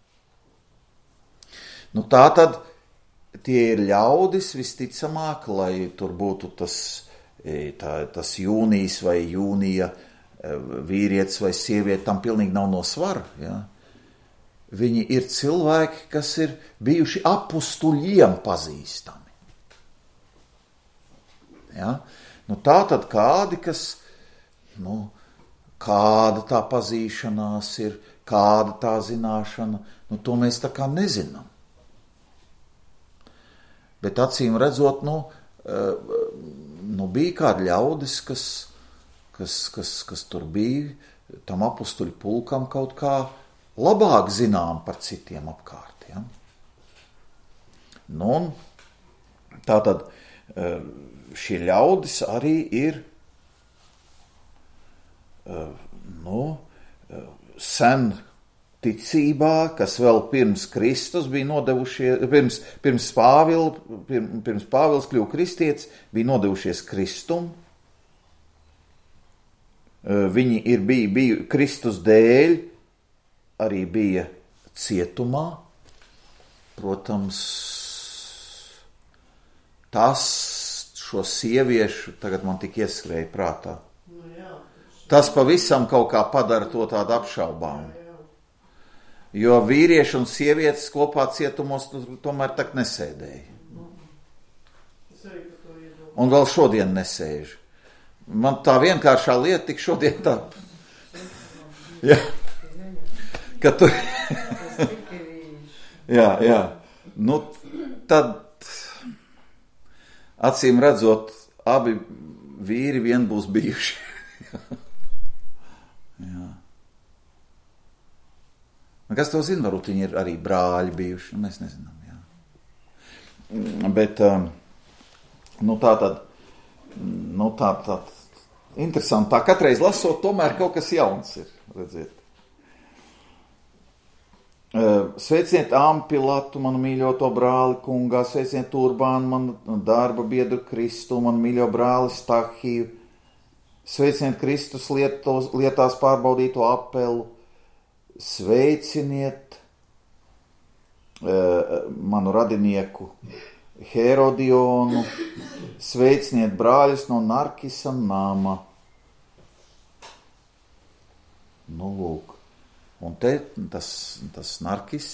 Tā tad tie ir ļaudis visticamāk, lai tur būtu tas jūnijas vai jūnija vīrietis vai sieviete, tam pilnīgi nav no svara, ja? Viņi ir cilvēki, kas ir bijuši apustuļiem pazīstami. Ja? Tā tad kādi, kas, kāda tā pazīšanās ir, kāda tā zināšana, to mēs tā kā nezinām. Bet acīm redzot, bija kādi ļaudis, kas tur bija, tam apustuļu pulkam kaut kā labāk zinām par citiem apkārt. Ja? Tātad šie ļaudis arī ir sen ticībā, kas vēl pirms Kristus bija nodevušies, pirms Pāvils kļuva kristietis, bija nodevušies Kristum. Viņi bija Kristus dēļ, arī bija cietumā. Protams, šo sieviešu tagad man tik ieskrēja prātā. Tas pavisam kaut kā padara to tādu apšaubām. Jo vīrieši un sievietes kopā cietumos tomēr tak nesēdēja. Un vēl šodien nesēž. Man tā vienkāršā lieta tik šodien tā. Ja. Ka tu... jā. Tad acīm redzot, abi vīri vien būs bijuši. Jā. Kas to zina, varbūt viņi ir arī brāļi bijuši, mēs nezinām, jā. Bet, tā interesanti, tā katreiz lasot, tomēr kaut kas jauns ir, redziet. Sveiciniet Ampilatu, manu mīļoto brāli kungā, sveiciniet Urbānu, manu darba biedru Kristu, manu mīļo brāli Stahiju, sveiciniet Kristus lietās pārbaudīto Apelu, sveiciniet manu radinieku Herodionu, sveiciniet brāļus no Narkisa nama. Lūk. Un te tas Narkis,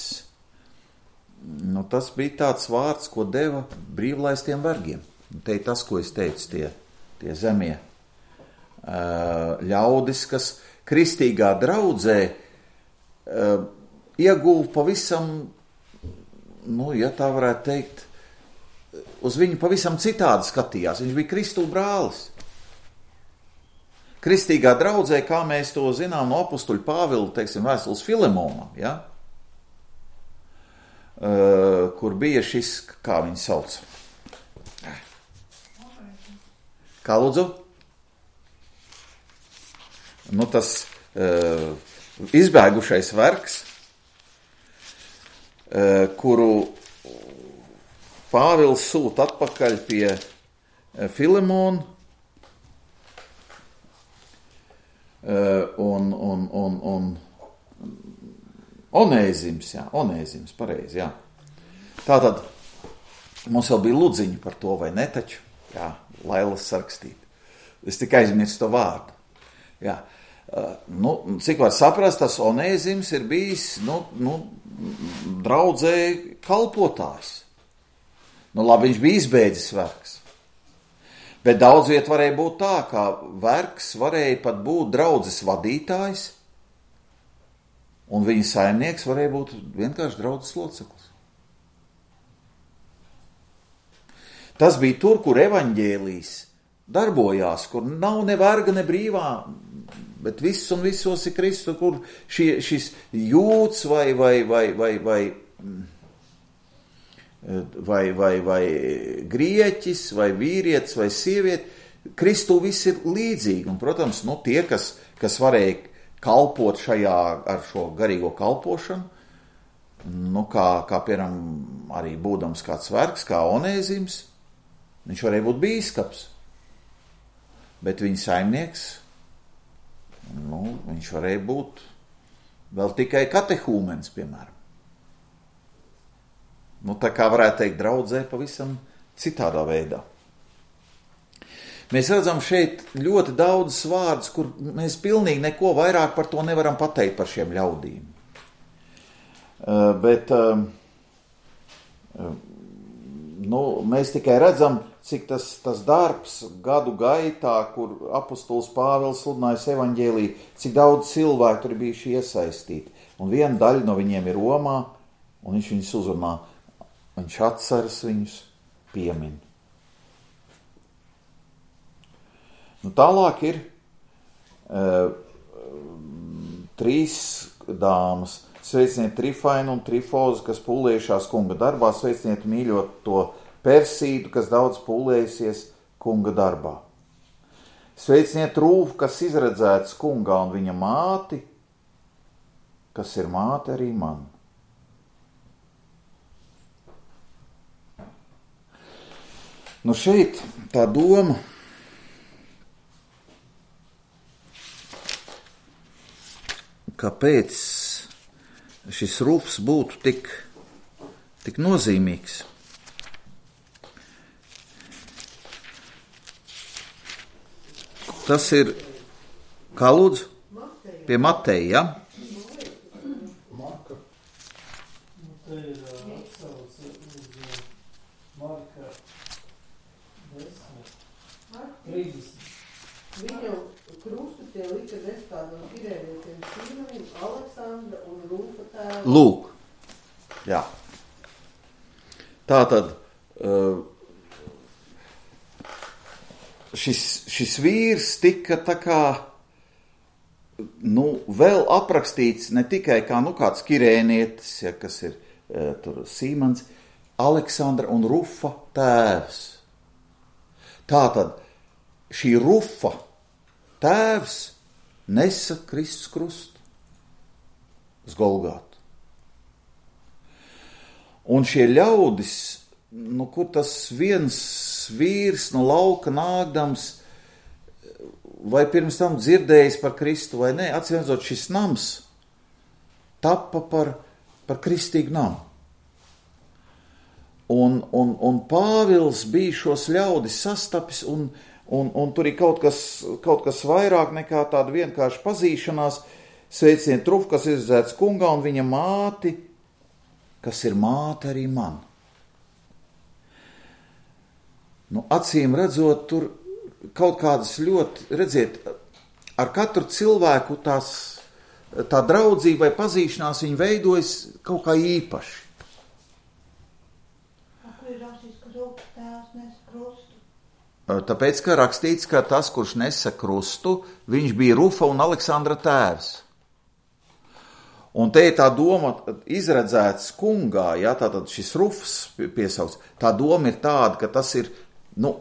tas bija tāds vārds, ko deva brīvlaistiem vergiem. Te ir tas, ko es teicu, tie zemie ļaudis, kas kristīgā draudzē ieguva pavisam, ja tā varētu teikt, uz viņu pavisam citādi skatījās. Viņš bija Kristu brālis. Kristīgā draudzē, kā mēs to zinām no apustuļa Pāvila, teiksim, vēstules Filemonam, ja? Kur bija šis, kā viņu sauc? Kā lūdzu? Tas izbēgušais vergs, kuru Pāvils sūta atpakaļ pie Filemona, un Onēzims, pareizi, jā. Tātad, mums vēl bija ludziņi par to, vai ne taču? Jā, Lailas sarakstīt. Es tikai aizmirstu to vārdu. Jā. Cik var saprast, tas Onēzims ir bijis, draudzē kalpotājs. Labi, viņš bija izbēdzis vergs. Bet daudz viet varēja būt tā, ka vergs varēja pat būt draudzes vadītājs, un viņa saimnieks varēja būt vienkārši draudzes loceklis. Tas bija tur, kur evaņģēlijs darbojās, kur nav ne verga, ne brīvā, bet viss un visos ir Kristu, kur šis jūds vai grieķis, vai vīrietis, vai sieviete, Kristū viss ir līdzīgi, un, protams, tie, kas varēja kalpot šajā ar šo garīgo kalpošanu, kā piemēram, arī būdams kāds vergs, kā Onēzims, viņš varēja būt bīskaps, bet viņa saimnieks, viņš varēja būt vēl tikai katehūmens, piemēram. Tā kā varētu teikt, draudzē pavisam citādā veidā. Mēs redzam šeit ļoti daudz vārdus, kur mēs pilnīgi neko vairāk par to nevaram pateikt par šiem ļaudīm. Bet mēs tikai redzam, cik tas darbs gadu gaitā, kur apostols Pāvils sludinājis evaņģēliju, cik daudz cilvēku tur bijuši iesaistīti. Un viena daļa no viņiem ir Romā, un viņš viņus uzrunā, viņš atceras viņus, piemin. Tālāk ir 3 dāmas. Sveiciniet Trifainu un Trifozu, kas pūlējušās kunga darbā. Sveiciniet mīļoto Persīdu, kas daudz pūlējusies kunga darbā. Sveiciniet Rūfu, kas izredzēts kungā, un viņa māti, kas ir māte arī man. Šeit tā doma, kāpēc šis Rufs būtu tik nozīmīgs. Tas ir, kā lūdzu? Pie Mateja, ja? Marka. Te ir atsauce uz Marka 10. 30. Viņu krustu tie lika nestādam Kirēnietiem Sīmanim, Aleksandra un Rūfa tēvu. Lūk, jā. Tātad šis vīrs tika tā kā, vēl aprakstīts ne tikai kā, kāds Kirēnietis, ja, kas ir tur Sīmans, Aleksandra un Rufa tēvs. Tātad šī Rufa tēvs nesa Kristus krustu uz Golgātu. Un šie ļaudis, kur tas viens vīrs no lauka nākdams, vai pirms tam dzirdējis par Kristu vai nē, atcīmredzot, šis nams tappa par kristīgu namu. Un Pāvils bija šos ļaudis sastapis, un tur ir kaut kas vairāk nekā tāda vienkārši pazīšanās. Sveiciniet Rufu, kas izredzēts kungā, un viņa māti, kas ir māte arī man. Acīm redzot, tur kaut kādas ļoti, redziet, ar katru cilvēku tā draudzība vai pazīšanās viņa veidojas kaut kā īpaši. Kur ir rakstīts, ka Rufa tēvs nes krustu? Tāpēc, ka rakstīts, ka tas, kurš nesa krustu, viņš bija Rufa un Aleksandra tēvs. Un te ir tā doma izredzēts kungā, ja, tātad šis Rufs piesauks, tā doma ir tāda, ka tas ir,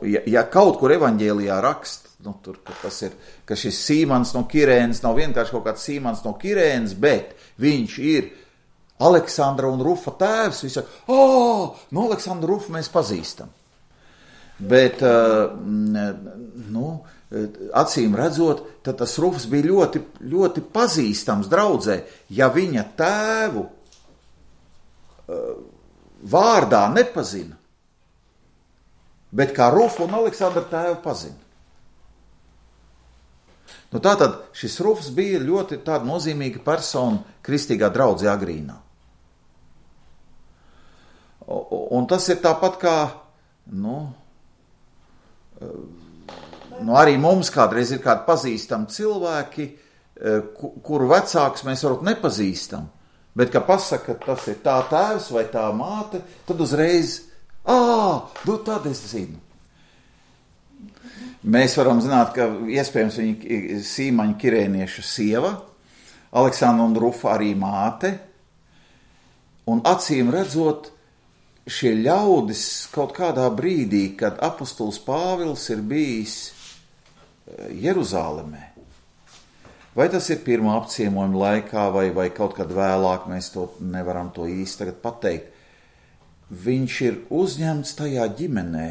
ja kaut kur evaņģēlijā rakst, tur, ka šis Sīmans no Kirēnas nav vienkārši kaut kāds Sīmans no Kirēnas, bet viņš ir Aleksandra un Rufa tēvs, viņš saka, no Aleksandra Rufa mēs pazīstam. Bet, acīm redzot, tad tas Rufs bija ļoti, ļoti pazīstams draudzē, ja viņa tēvu vārdā nepazina, bet kā Rufu un Aleksandra tēvu pazina. Tātad šis Rufs bija ļoti tāda nozīmīga persona kristīgā draudzē agrīnā. Un tas ir tāpat kā, arī mums kādreiz ir kādi pazīstami cilvēki, kuru vecākus mēs varbūt nepazīstam, bet, ka pasaka, ka tas ir tā tēvs vai tā māte, tad uzreiz, tad es zinu. Mēs varam zināt, ka iespējams viņa Sīmaņa Kirēnieša sieva, Aleksandra un Rufa arī māte, un acīm redzot, šie ļaudis kaut kādā brīdī, kad apostols Pāvils ir bijis Jeruzālemē. Vai tas ir pirmā apciemojuma laikā, vai kaut kad vēlāk, mēs to nevaram to īsti tagad pateikt. Viņš ir uzņemts tajā ģimenē,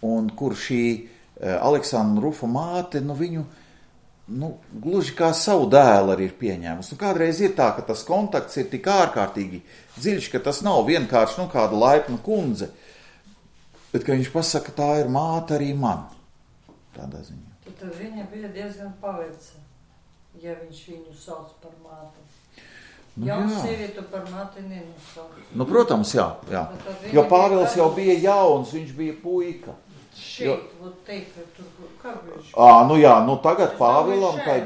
un kur šī Aleksandra Rufa māte, viņu, gluži kā savu dēlu arī ir pieņēmusi. Kādreiz ir tā, ka tas kontakts ir tik ārkārtīgi dziļš, ka tas nav vienkārši, kāda laipna kundze, bet, ka viņš pasaka, tā ir māte arī man. Tādā ziņā. Tad viņa bija diezgan paveca, ja viņš viņu sauc par māti. Jauns sievietu par māti nenosauc. Protams, jā. Jo Pāvils jau bija jauns, viņš bija puika. Šeit, teikt, tur, kā viņš? Tagad Pāvilam tai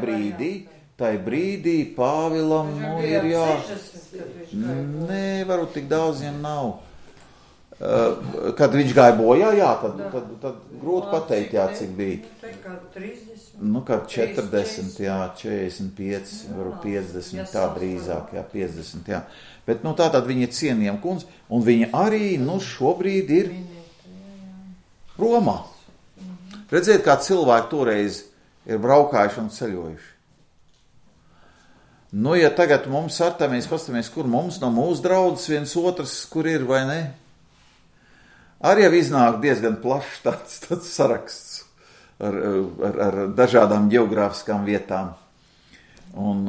brīdī Pāvilam, ir jā. Nē, varbūt tik daudz viņam nav. Kad viņš gāja bojā, tad grūti pateikt, cik bija. Kad 30. Kad 40, 45, varbūt 50, tā drīzāk, 50, Bet, tātad viņa ir cienījama kundze, un viņa arī, šobrīd ir Romā. Redziet, kā cilvēki toreiz ir braukājuši un ceļojuši. Ja tagad mums mēs pastamies, kur mums no mūsu draudzes viens otrs, kur ir, vai ne? Arī jau iznāk diezgan plašs tāds saraksts ar dažādām geogrāfiskām vietām. Un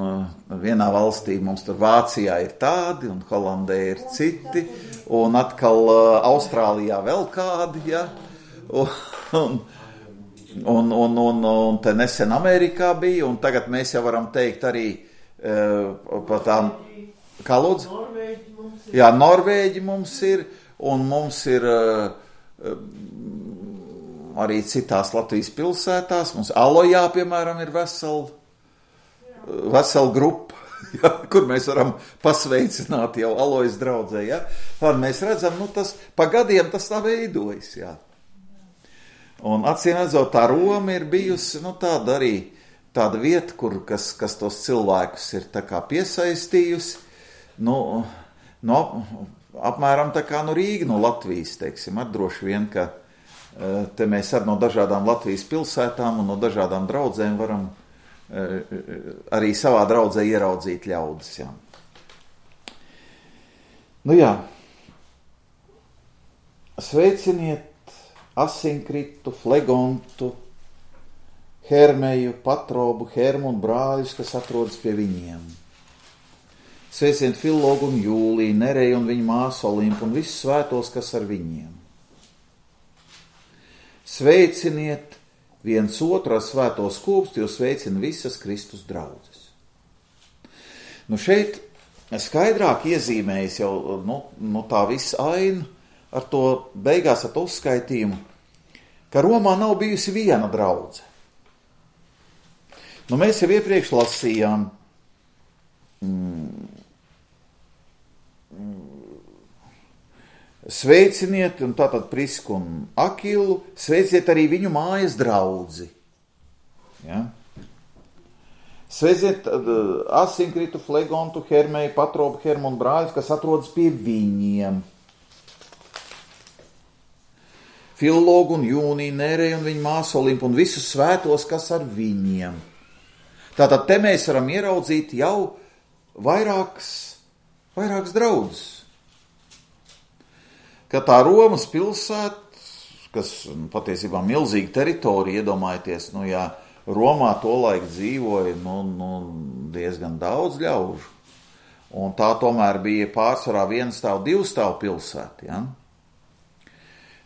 vienā valstī mums tur Vācijā ir tādi, un Holandē ir citi, un atkal Austrālijā vēl kādi, Un te nesen Amerikā bija, un tagad mēs jau varam teikt arī par tām, kā lūdzu? Norvēģi mums ir. Un mums ir arī citās Latvijas pilsētās. Mums Alojā, piemēram, ir vesela grupa, kur mēs varam pasveicināt jau Alojas draudzē. Tad mēs redzam, tas pa gadiem tas tā veidojas. Un acīm redzot, tā Roma ir bijusi tāda arī tāda vieta, kas tos cilvēkus ir tā kā piesaistījusi. Apmēram tā kā Rīga no Latvijas, teiksim, droši vien, ka te mēs no dažādām Latvijas pilsētām un no dažādām draudzēm varam arī savā draudzē ieraudzīt ļaudis, Sveiciniet Asinkritu, Flegontu, Hermeju, Patrobu, Hermu un brāļus, kas atrodas pie viņiem. Sveiciniet Filologu un Jūliju, Nereju un viņa māsu Olimpu un visus svētos, kas ar viņiem. Sveiciniet viens otru ar svēto skūpstu, jo sveicina visas Kristus draudzes. Šeit skaidrāk iezīmējas jau tā visa aina ar to beigās ar to uzskaitījumu, ka Romā nav bijusi viena draudze. Mēs jau iepriekš lasījām sveiciniet, un tātad Prisku un Akilu, sveiciniet arī viņu mājas draudzi. Sveiciniet Asinkritu, Flegontu, Hermeju, Patrobu, Hermu un brāļus, kas atrodas pie viņiem. Filologu un Jūniju, Nereju un viņa māsu Olimpu un visus svētos, kas ar viņiem. Tātad te mēs varam ieraudzīt jau vairākas draudzes. Ka tā Romas pilsēta, kas patiesībā milzīga teritorija, iedomājieties, Romā tolaik dzīvoja diezgan daudz ļaužu, un tā tomēr bija pārsvarā vienstāvu, divstāvu pilsēta,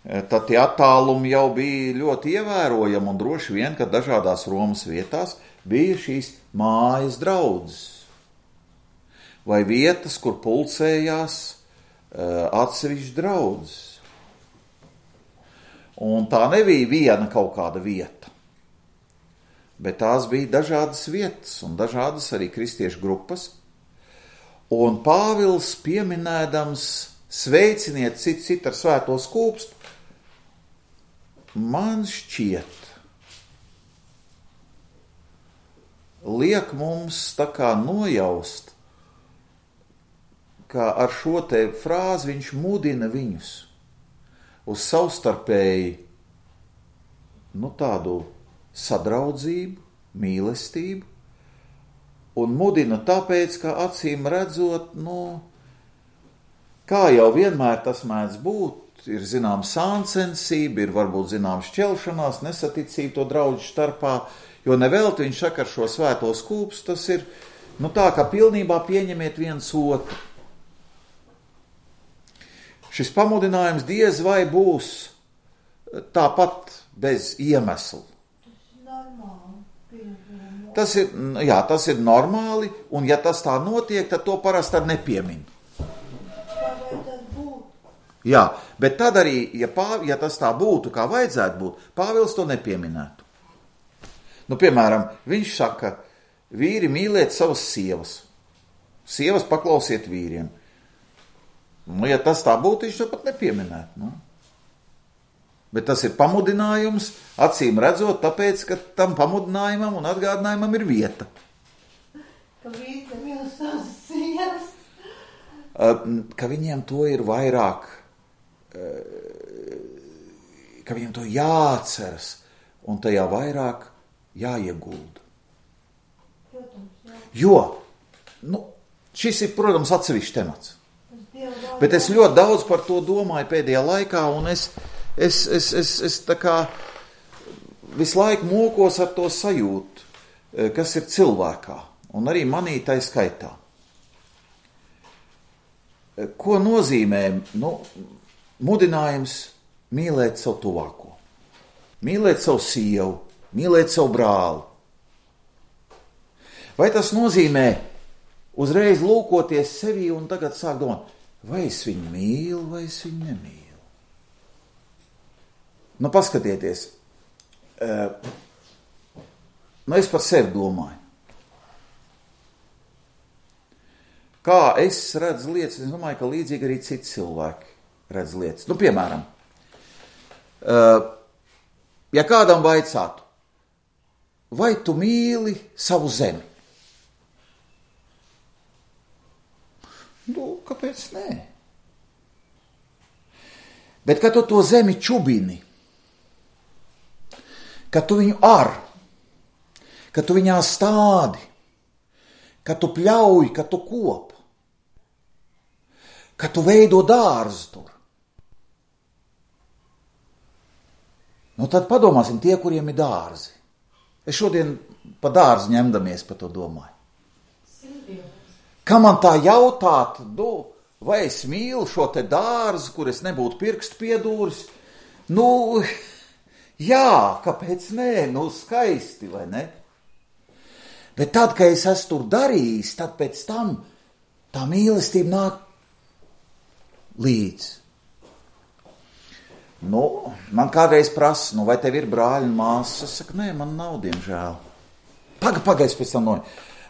Tad tie attālumi jau bija ļoti ievērojami, un droši vien, ka dažādās Romas vietās bija šīs mājas draudzes, vai vietas, kur pulcējās atsevišķi draudzes. Un tā nebija viena kaut kāda vieta, bet tās bija dažādas vietas un dažādas arī kristiešu grupas. Un Pāvils pieminēdams sveiciniet citu ar svēto skūpstu, man šķiet, liek mums tā kā nojaust, ka ar šo te frāzi viņš mudina viņus uz savstarpēji tādu sadraudzību, mīlestību, un mudina tāpēc, ka acīm redzot, kā jau vienmēr tas mēdz būt, ir zinām sāncensība, ir varbūt zinām šķelšanās, nesaticība to draudžu starpā, jo nevelti viņš saka ar šo svēto skūpstu, tas ir, tā, ka pilnībā pieņemiet viens otru. Šis pamudinājums diez vai būs tāpat bez iemesla. Tas ir normāli, un ja tas tā notiek, tad to parasti ar nepiemin. Jā, bet tad arī, ja tas tā būtu, kā vajadzētu būt, Pāvils to nepieminētu. Piemēram, viņš saka, vīri mīliet savas sievas. Sievas paklausiet vīriem. Ja tas tā būtu, viņš to pat nepieminētu. Bet tas ir pamudinājums, acīm redzot, tāpēc, ka tam pamudinājumam un atgādinājumam ir vieta. Ka vīri mīl savas sievas. Ka viņiem to ir vairāk, ka viņiem to jāatceras un tajā vairāk jāiegulda. Jo, šis ir, protams, atsevišķs temats. Bet es ļoti daudz par to domāju pēdējā laikā, un es tā kā visu laiku mokos ar to sajūtu, kas ir cilvēkā, un arī manī tai skaitā. Ko nozīmē, mudinājums mīlēt savu tuvāko, mīlēt savu sievu, mīlēt savu brāli? Vai tas nozīmē uzreiz lūkoties sevī un tagad sāk domāt, vai es viņu mīlu, vai es viņu nemīlu? Paskatieties, es par sevi domāju. Kā es redzu lietas, es domāju, ka līdzīgi arī citi cilvēki redz lietas. Piemēram, ja kādam vaicātu, vai tu mīli savu zemi? Kāpēc nē? Bet, kad tu to zemi čubini, kad tu viņu ar, kad tu viņā stādi, kad tu pļauj, kad tu kop, kad tu veido dārzu tur, tad padomāsim tie, kuriem ir dārzi. Es šodien pa dārzu ņemdamies par to domāju. Kā man tā jautāt, vai es mīlu šo te dārzu, kur es nebūtu pirkstu piedūris? Jā, kāpēc nē? Skaisti, vai ne? Bet tad, kad es esmu tur darījis, tad pēc tam tā mīlestība nāk līdz. Man kādreiz prasa, vai tev ir brāļi un māsas? Es saku, nē, man nav, diemžēl. Pagaidzi pēc tam noja.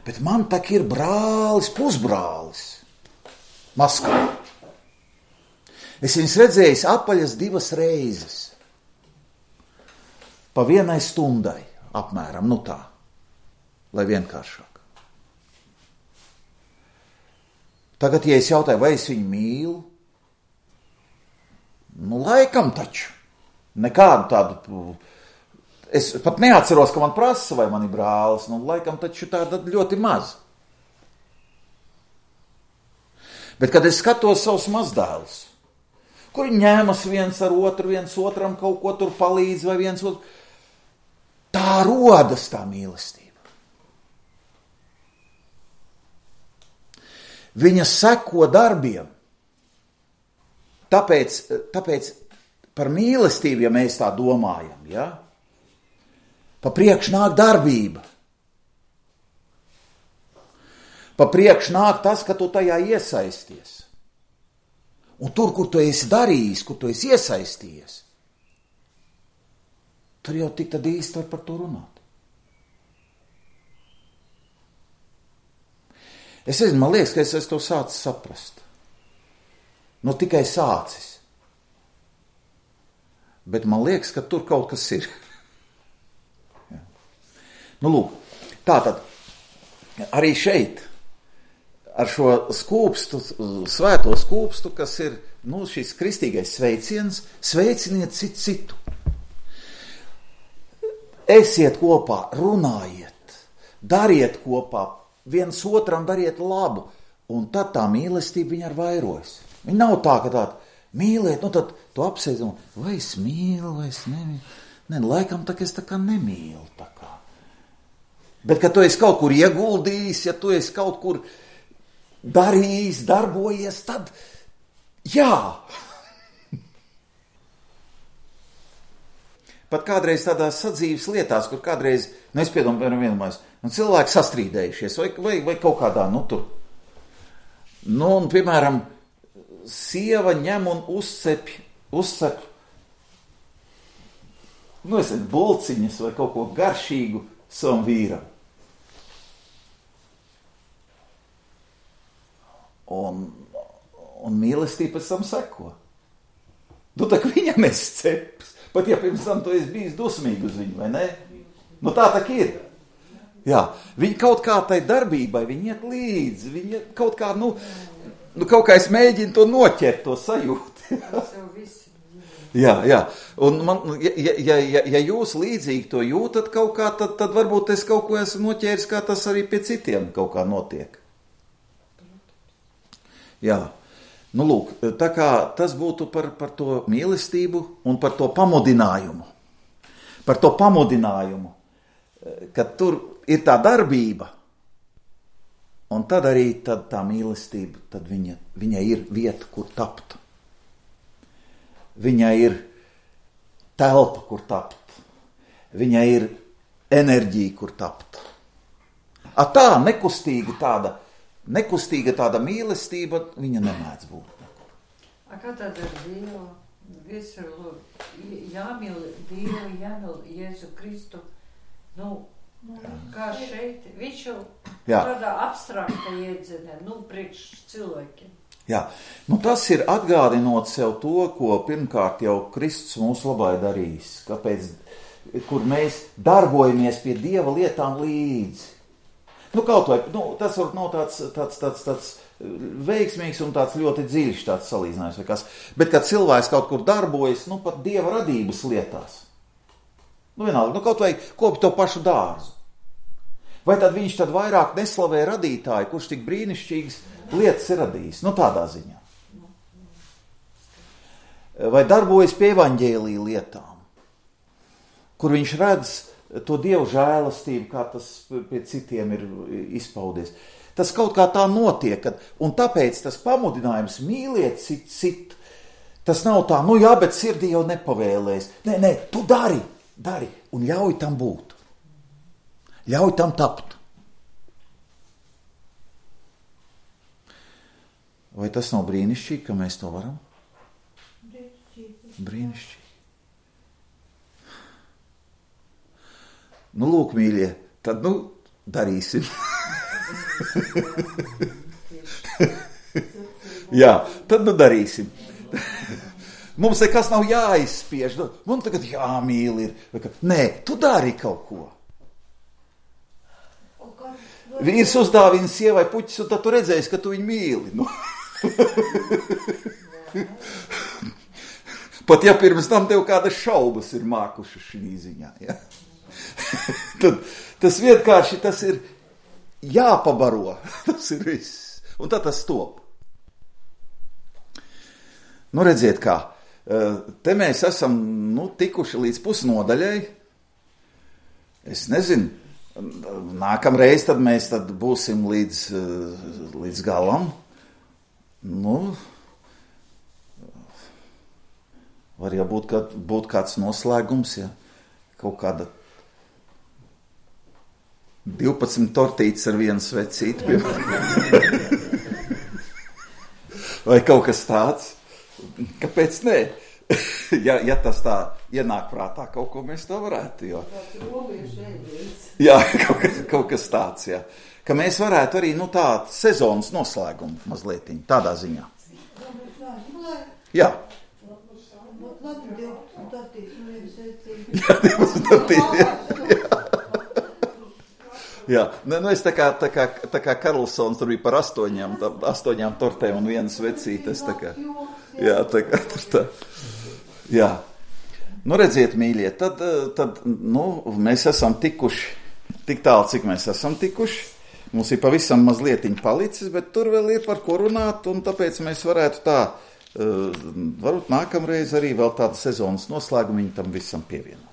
Bet man tak ir brālis, pusbrālis. Maskavā. Es viņus redzējis apaļas 2 reizes. Pa 1 stundai apmēram, tā. Lai vienkāršāk. Tagad, ja es jautāju, vai es viņu mīlu? Laikam taču. Nekādu tādu... Es pat neatceros, ka man prasa, vai man ir brālis. Laikam taču tāda ļoti maz. Bet, kad es skatos savus mazdēlus, kuri ņēmas viens ar otru, viens otram kaut ko tur palīdz, vai viens otru, tā rodas tā mīlestība. Viņa seko darbiem. Tāpēc par mīlestību, ja mēs tā domājam, ja? Pa priekš nāk darbība. Pa priekš nāk tas, ka tu tajā iesaisties. Un tur, kur tu esi darījis, kur tu esi iesaistījies, tur jau tik tad īsti var par to runāt. Es nezinu, man liekas, ka es esmu to sācis saprast. Tikai sācis. Bet man liekas, ka tur kaut kas ir. Lūk, tātad arī šeit ar šo skūpstu, svēto skūpstu, kas ir šis kristīgais sveiciens, sveiciniet citu. esiet kopā, runājiet, dariet kopā, viens otram dariet labu, un tad tā mīlestība viņa ar vairojas. Viņa nav tā, ka tāda mīliet, nu tad tu apsēdi, vai es mīlu, vai es nemīlu. Nē, laikam tā, ka es tā kā nemīlu tā kā. Bet, kad tu esi kaut kur ieguldījis, ja tu esi kaut kur darījis, darbojies, tad jā. Pat kādreiz tādās sadzīves lietās, kur kādreiz, es piedomāju vienmēr, cilvēki sastrīdējušies, vai kaut kādā, tur. Un, piemēram, sieva ņem un uzcep, bulciņas vai kaut ko garšīgu savam vīram. Un mīlestība pēc tam seko. Tu tā kā viņam esi ceps, pat ja pirms tam tu esi bijis dusmīgi uz viņu, vai ne? Tā ir. Jā, viņi kaut kā tai darbībai, viņi iet līdzi, viņi kaut kā, kaut kā es mēģinu to noķert, to sajūtu. Jā. Un ja jūs līdzīgi to jūtat kaut kā, tad varbūt es kaut ko esmu noķēris, kā tas arī pie citiem kaut kā notiek. Jā. Lūk, tā kā tas būtu par to mīlestību un par to pamudinājumu. Par to pamudinājumu, kad tur ir tā darbība, un tad arī tā mīlestība, tad viņa ir vieta, kur tapt. Viņai ir telpa, kur tapt. Viņai ir enerģija, kur tapt. Tā nekustīga tāda mīlestība, viņa nemēdz būt. Kā tad ar Dievu? Visur jāmīl Dievu, jāmīl Jēzu Kristu. Kā šeit? Viņš jau tādā abstrakta iedzenē, priekš cilvēkiem. Jā, tas ir atgādinot sev to, ko pirmkārt jau Kristus mūsu labā ir darījis, kur mēs darbojamies pie Dieva lietām līdzi. Kaut vai, tas var nav tāds veiksmīgs un tāds ļoti dziļš tāds salīdzinājums vai kas, bet kad cilvēks kaut kur darbojas, pat Dieva radības lietās. Vienalga, kaut vai kopi to pašu dārzu. Vai tad viņš tad vairāk neslavē radītāju, kurš tik brīnišķīgas lietas ir radījis? Tādā ziņā. Vai darbojas pie evaņģēlija lietām, kur viņš redz to Dievu žēlastību, kā tas pie citiem ir izpaudies. Tas kaut kā tā notiek, un tāpēc tas pamudinājums mīliet citu, tas nav tā, jā, bet sirdī jau nepavēlēs. Nē, tu dari, un ļauj tam būt. Ļauj tam tapt. Vai tas nav brīnišķīgi, ka mēs to varam? Brīnišķīgi. Lūk, mīļie, tad, darīsim. Jā, tad, darīsim. Mums nekas nav jāizspiež. Mums tagad jāmīl ir. Nē, tu dari kaut ko. Vīrs uzdāvina sievai puķis, un tad tu redzēsi, ka tu viņu mīli. Pat ja pirms tam tev kādas šaubas ir mākušas šī ziņā. Ja? Tad tas vienkārši tas ir jāpabaro. Tas ir viss. Un tad tas top. Redziet kā. Te mēs esam tikuši līdz pusnodaļai. Es nezinu. Nākamreiz tad mēs būsim līdz galam. Var jau būt kāds noslēgums, ja kaut kāda 12 tortītes ar vienu svecīti, piemēram. Vai kaut kas tāds. Kāpēc nē? Ja tas tā ienāk prātā, kaut ko mēs to varētu, jo. Jā, kaut kas tāds, jā. Ka mēs varētu arī, tā sezonas noslēgumu mazlietiņu, tādā ziņā. Jā. Jā, es tā kā Karlsons tur bija par 8 tortēm un vienu svecīti, es tā kā. Jā, tā kā tur tā. Jā. Nu, redziet, mīļie, tad mēs esam tikuši tik tālu, cik mēs esam tikuši. Mums ir pavisam mazlietiņ palicis, bet tur vēl ir par ko runāt, un tāpēc mēs varētu tā, varbūt nākamreiz arī vēl tādu sezonas noslēgumu tam visam pievienot.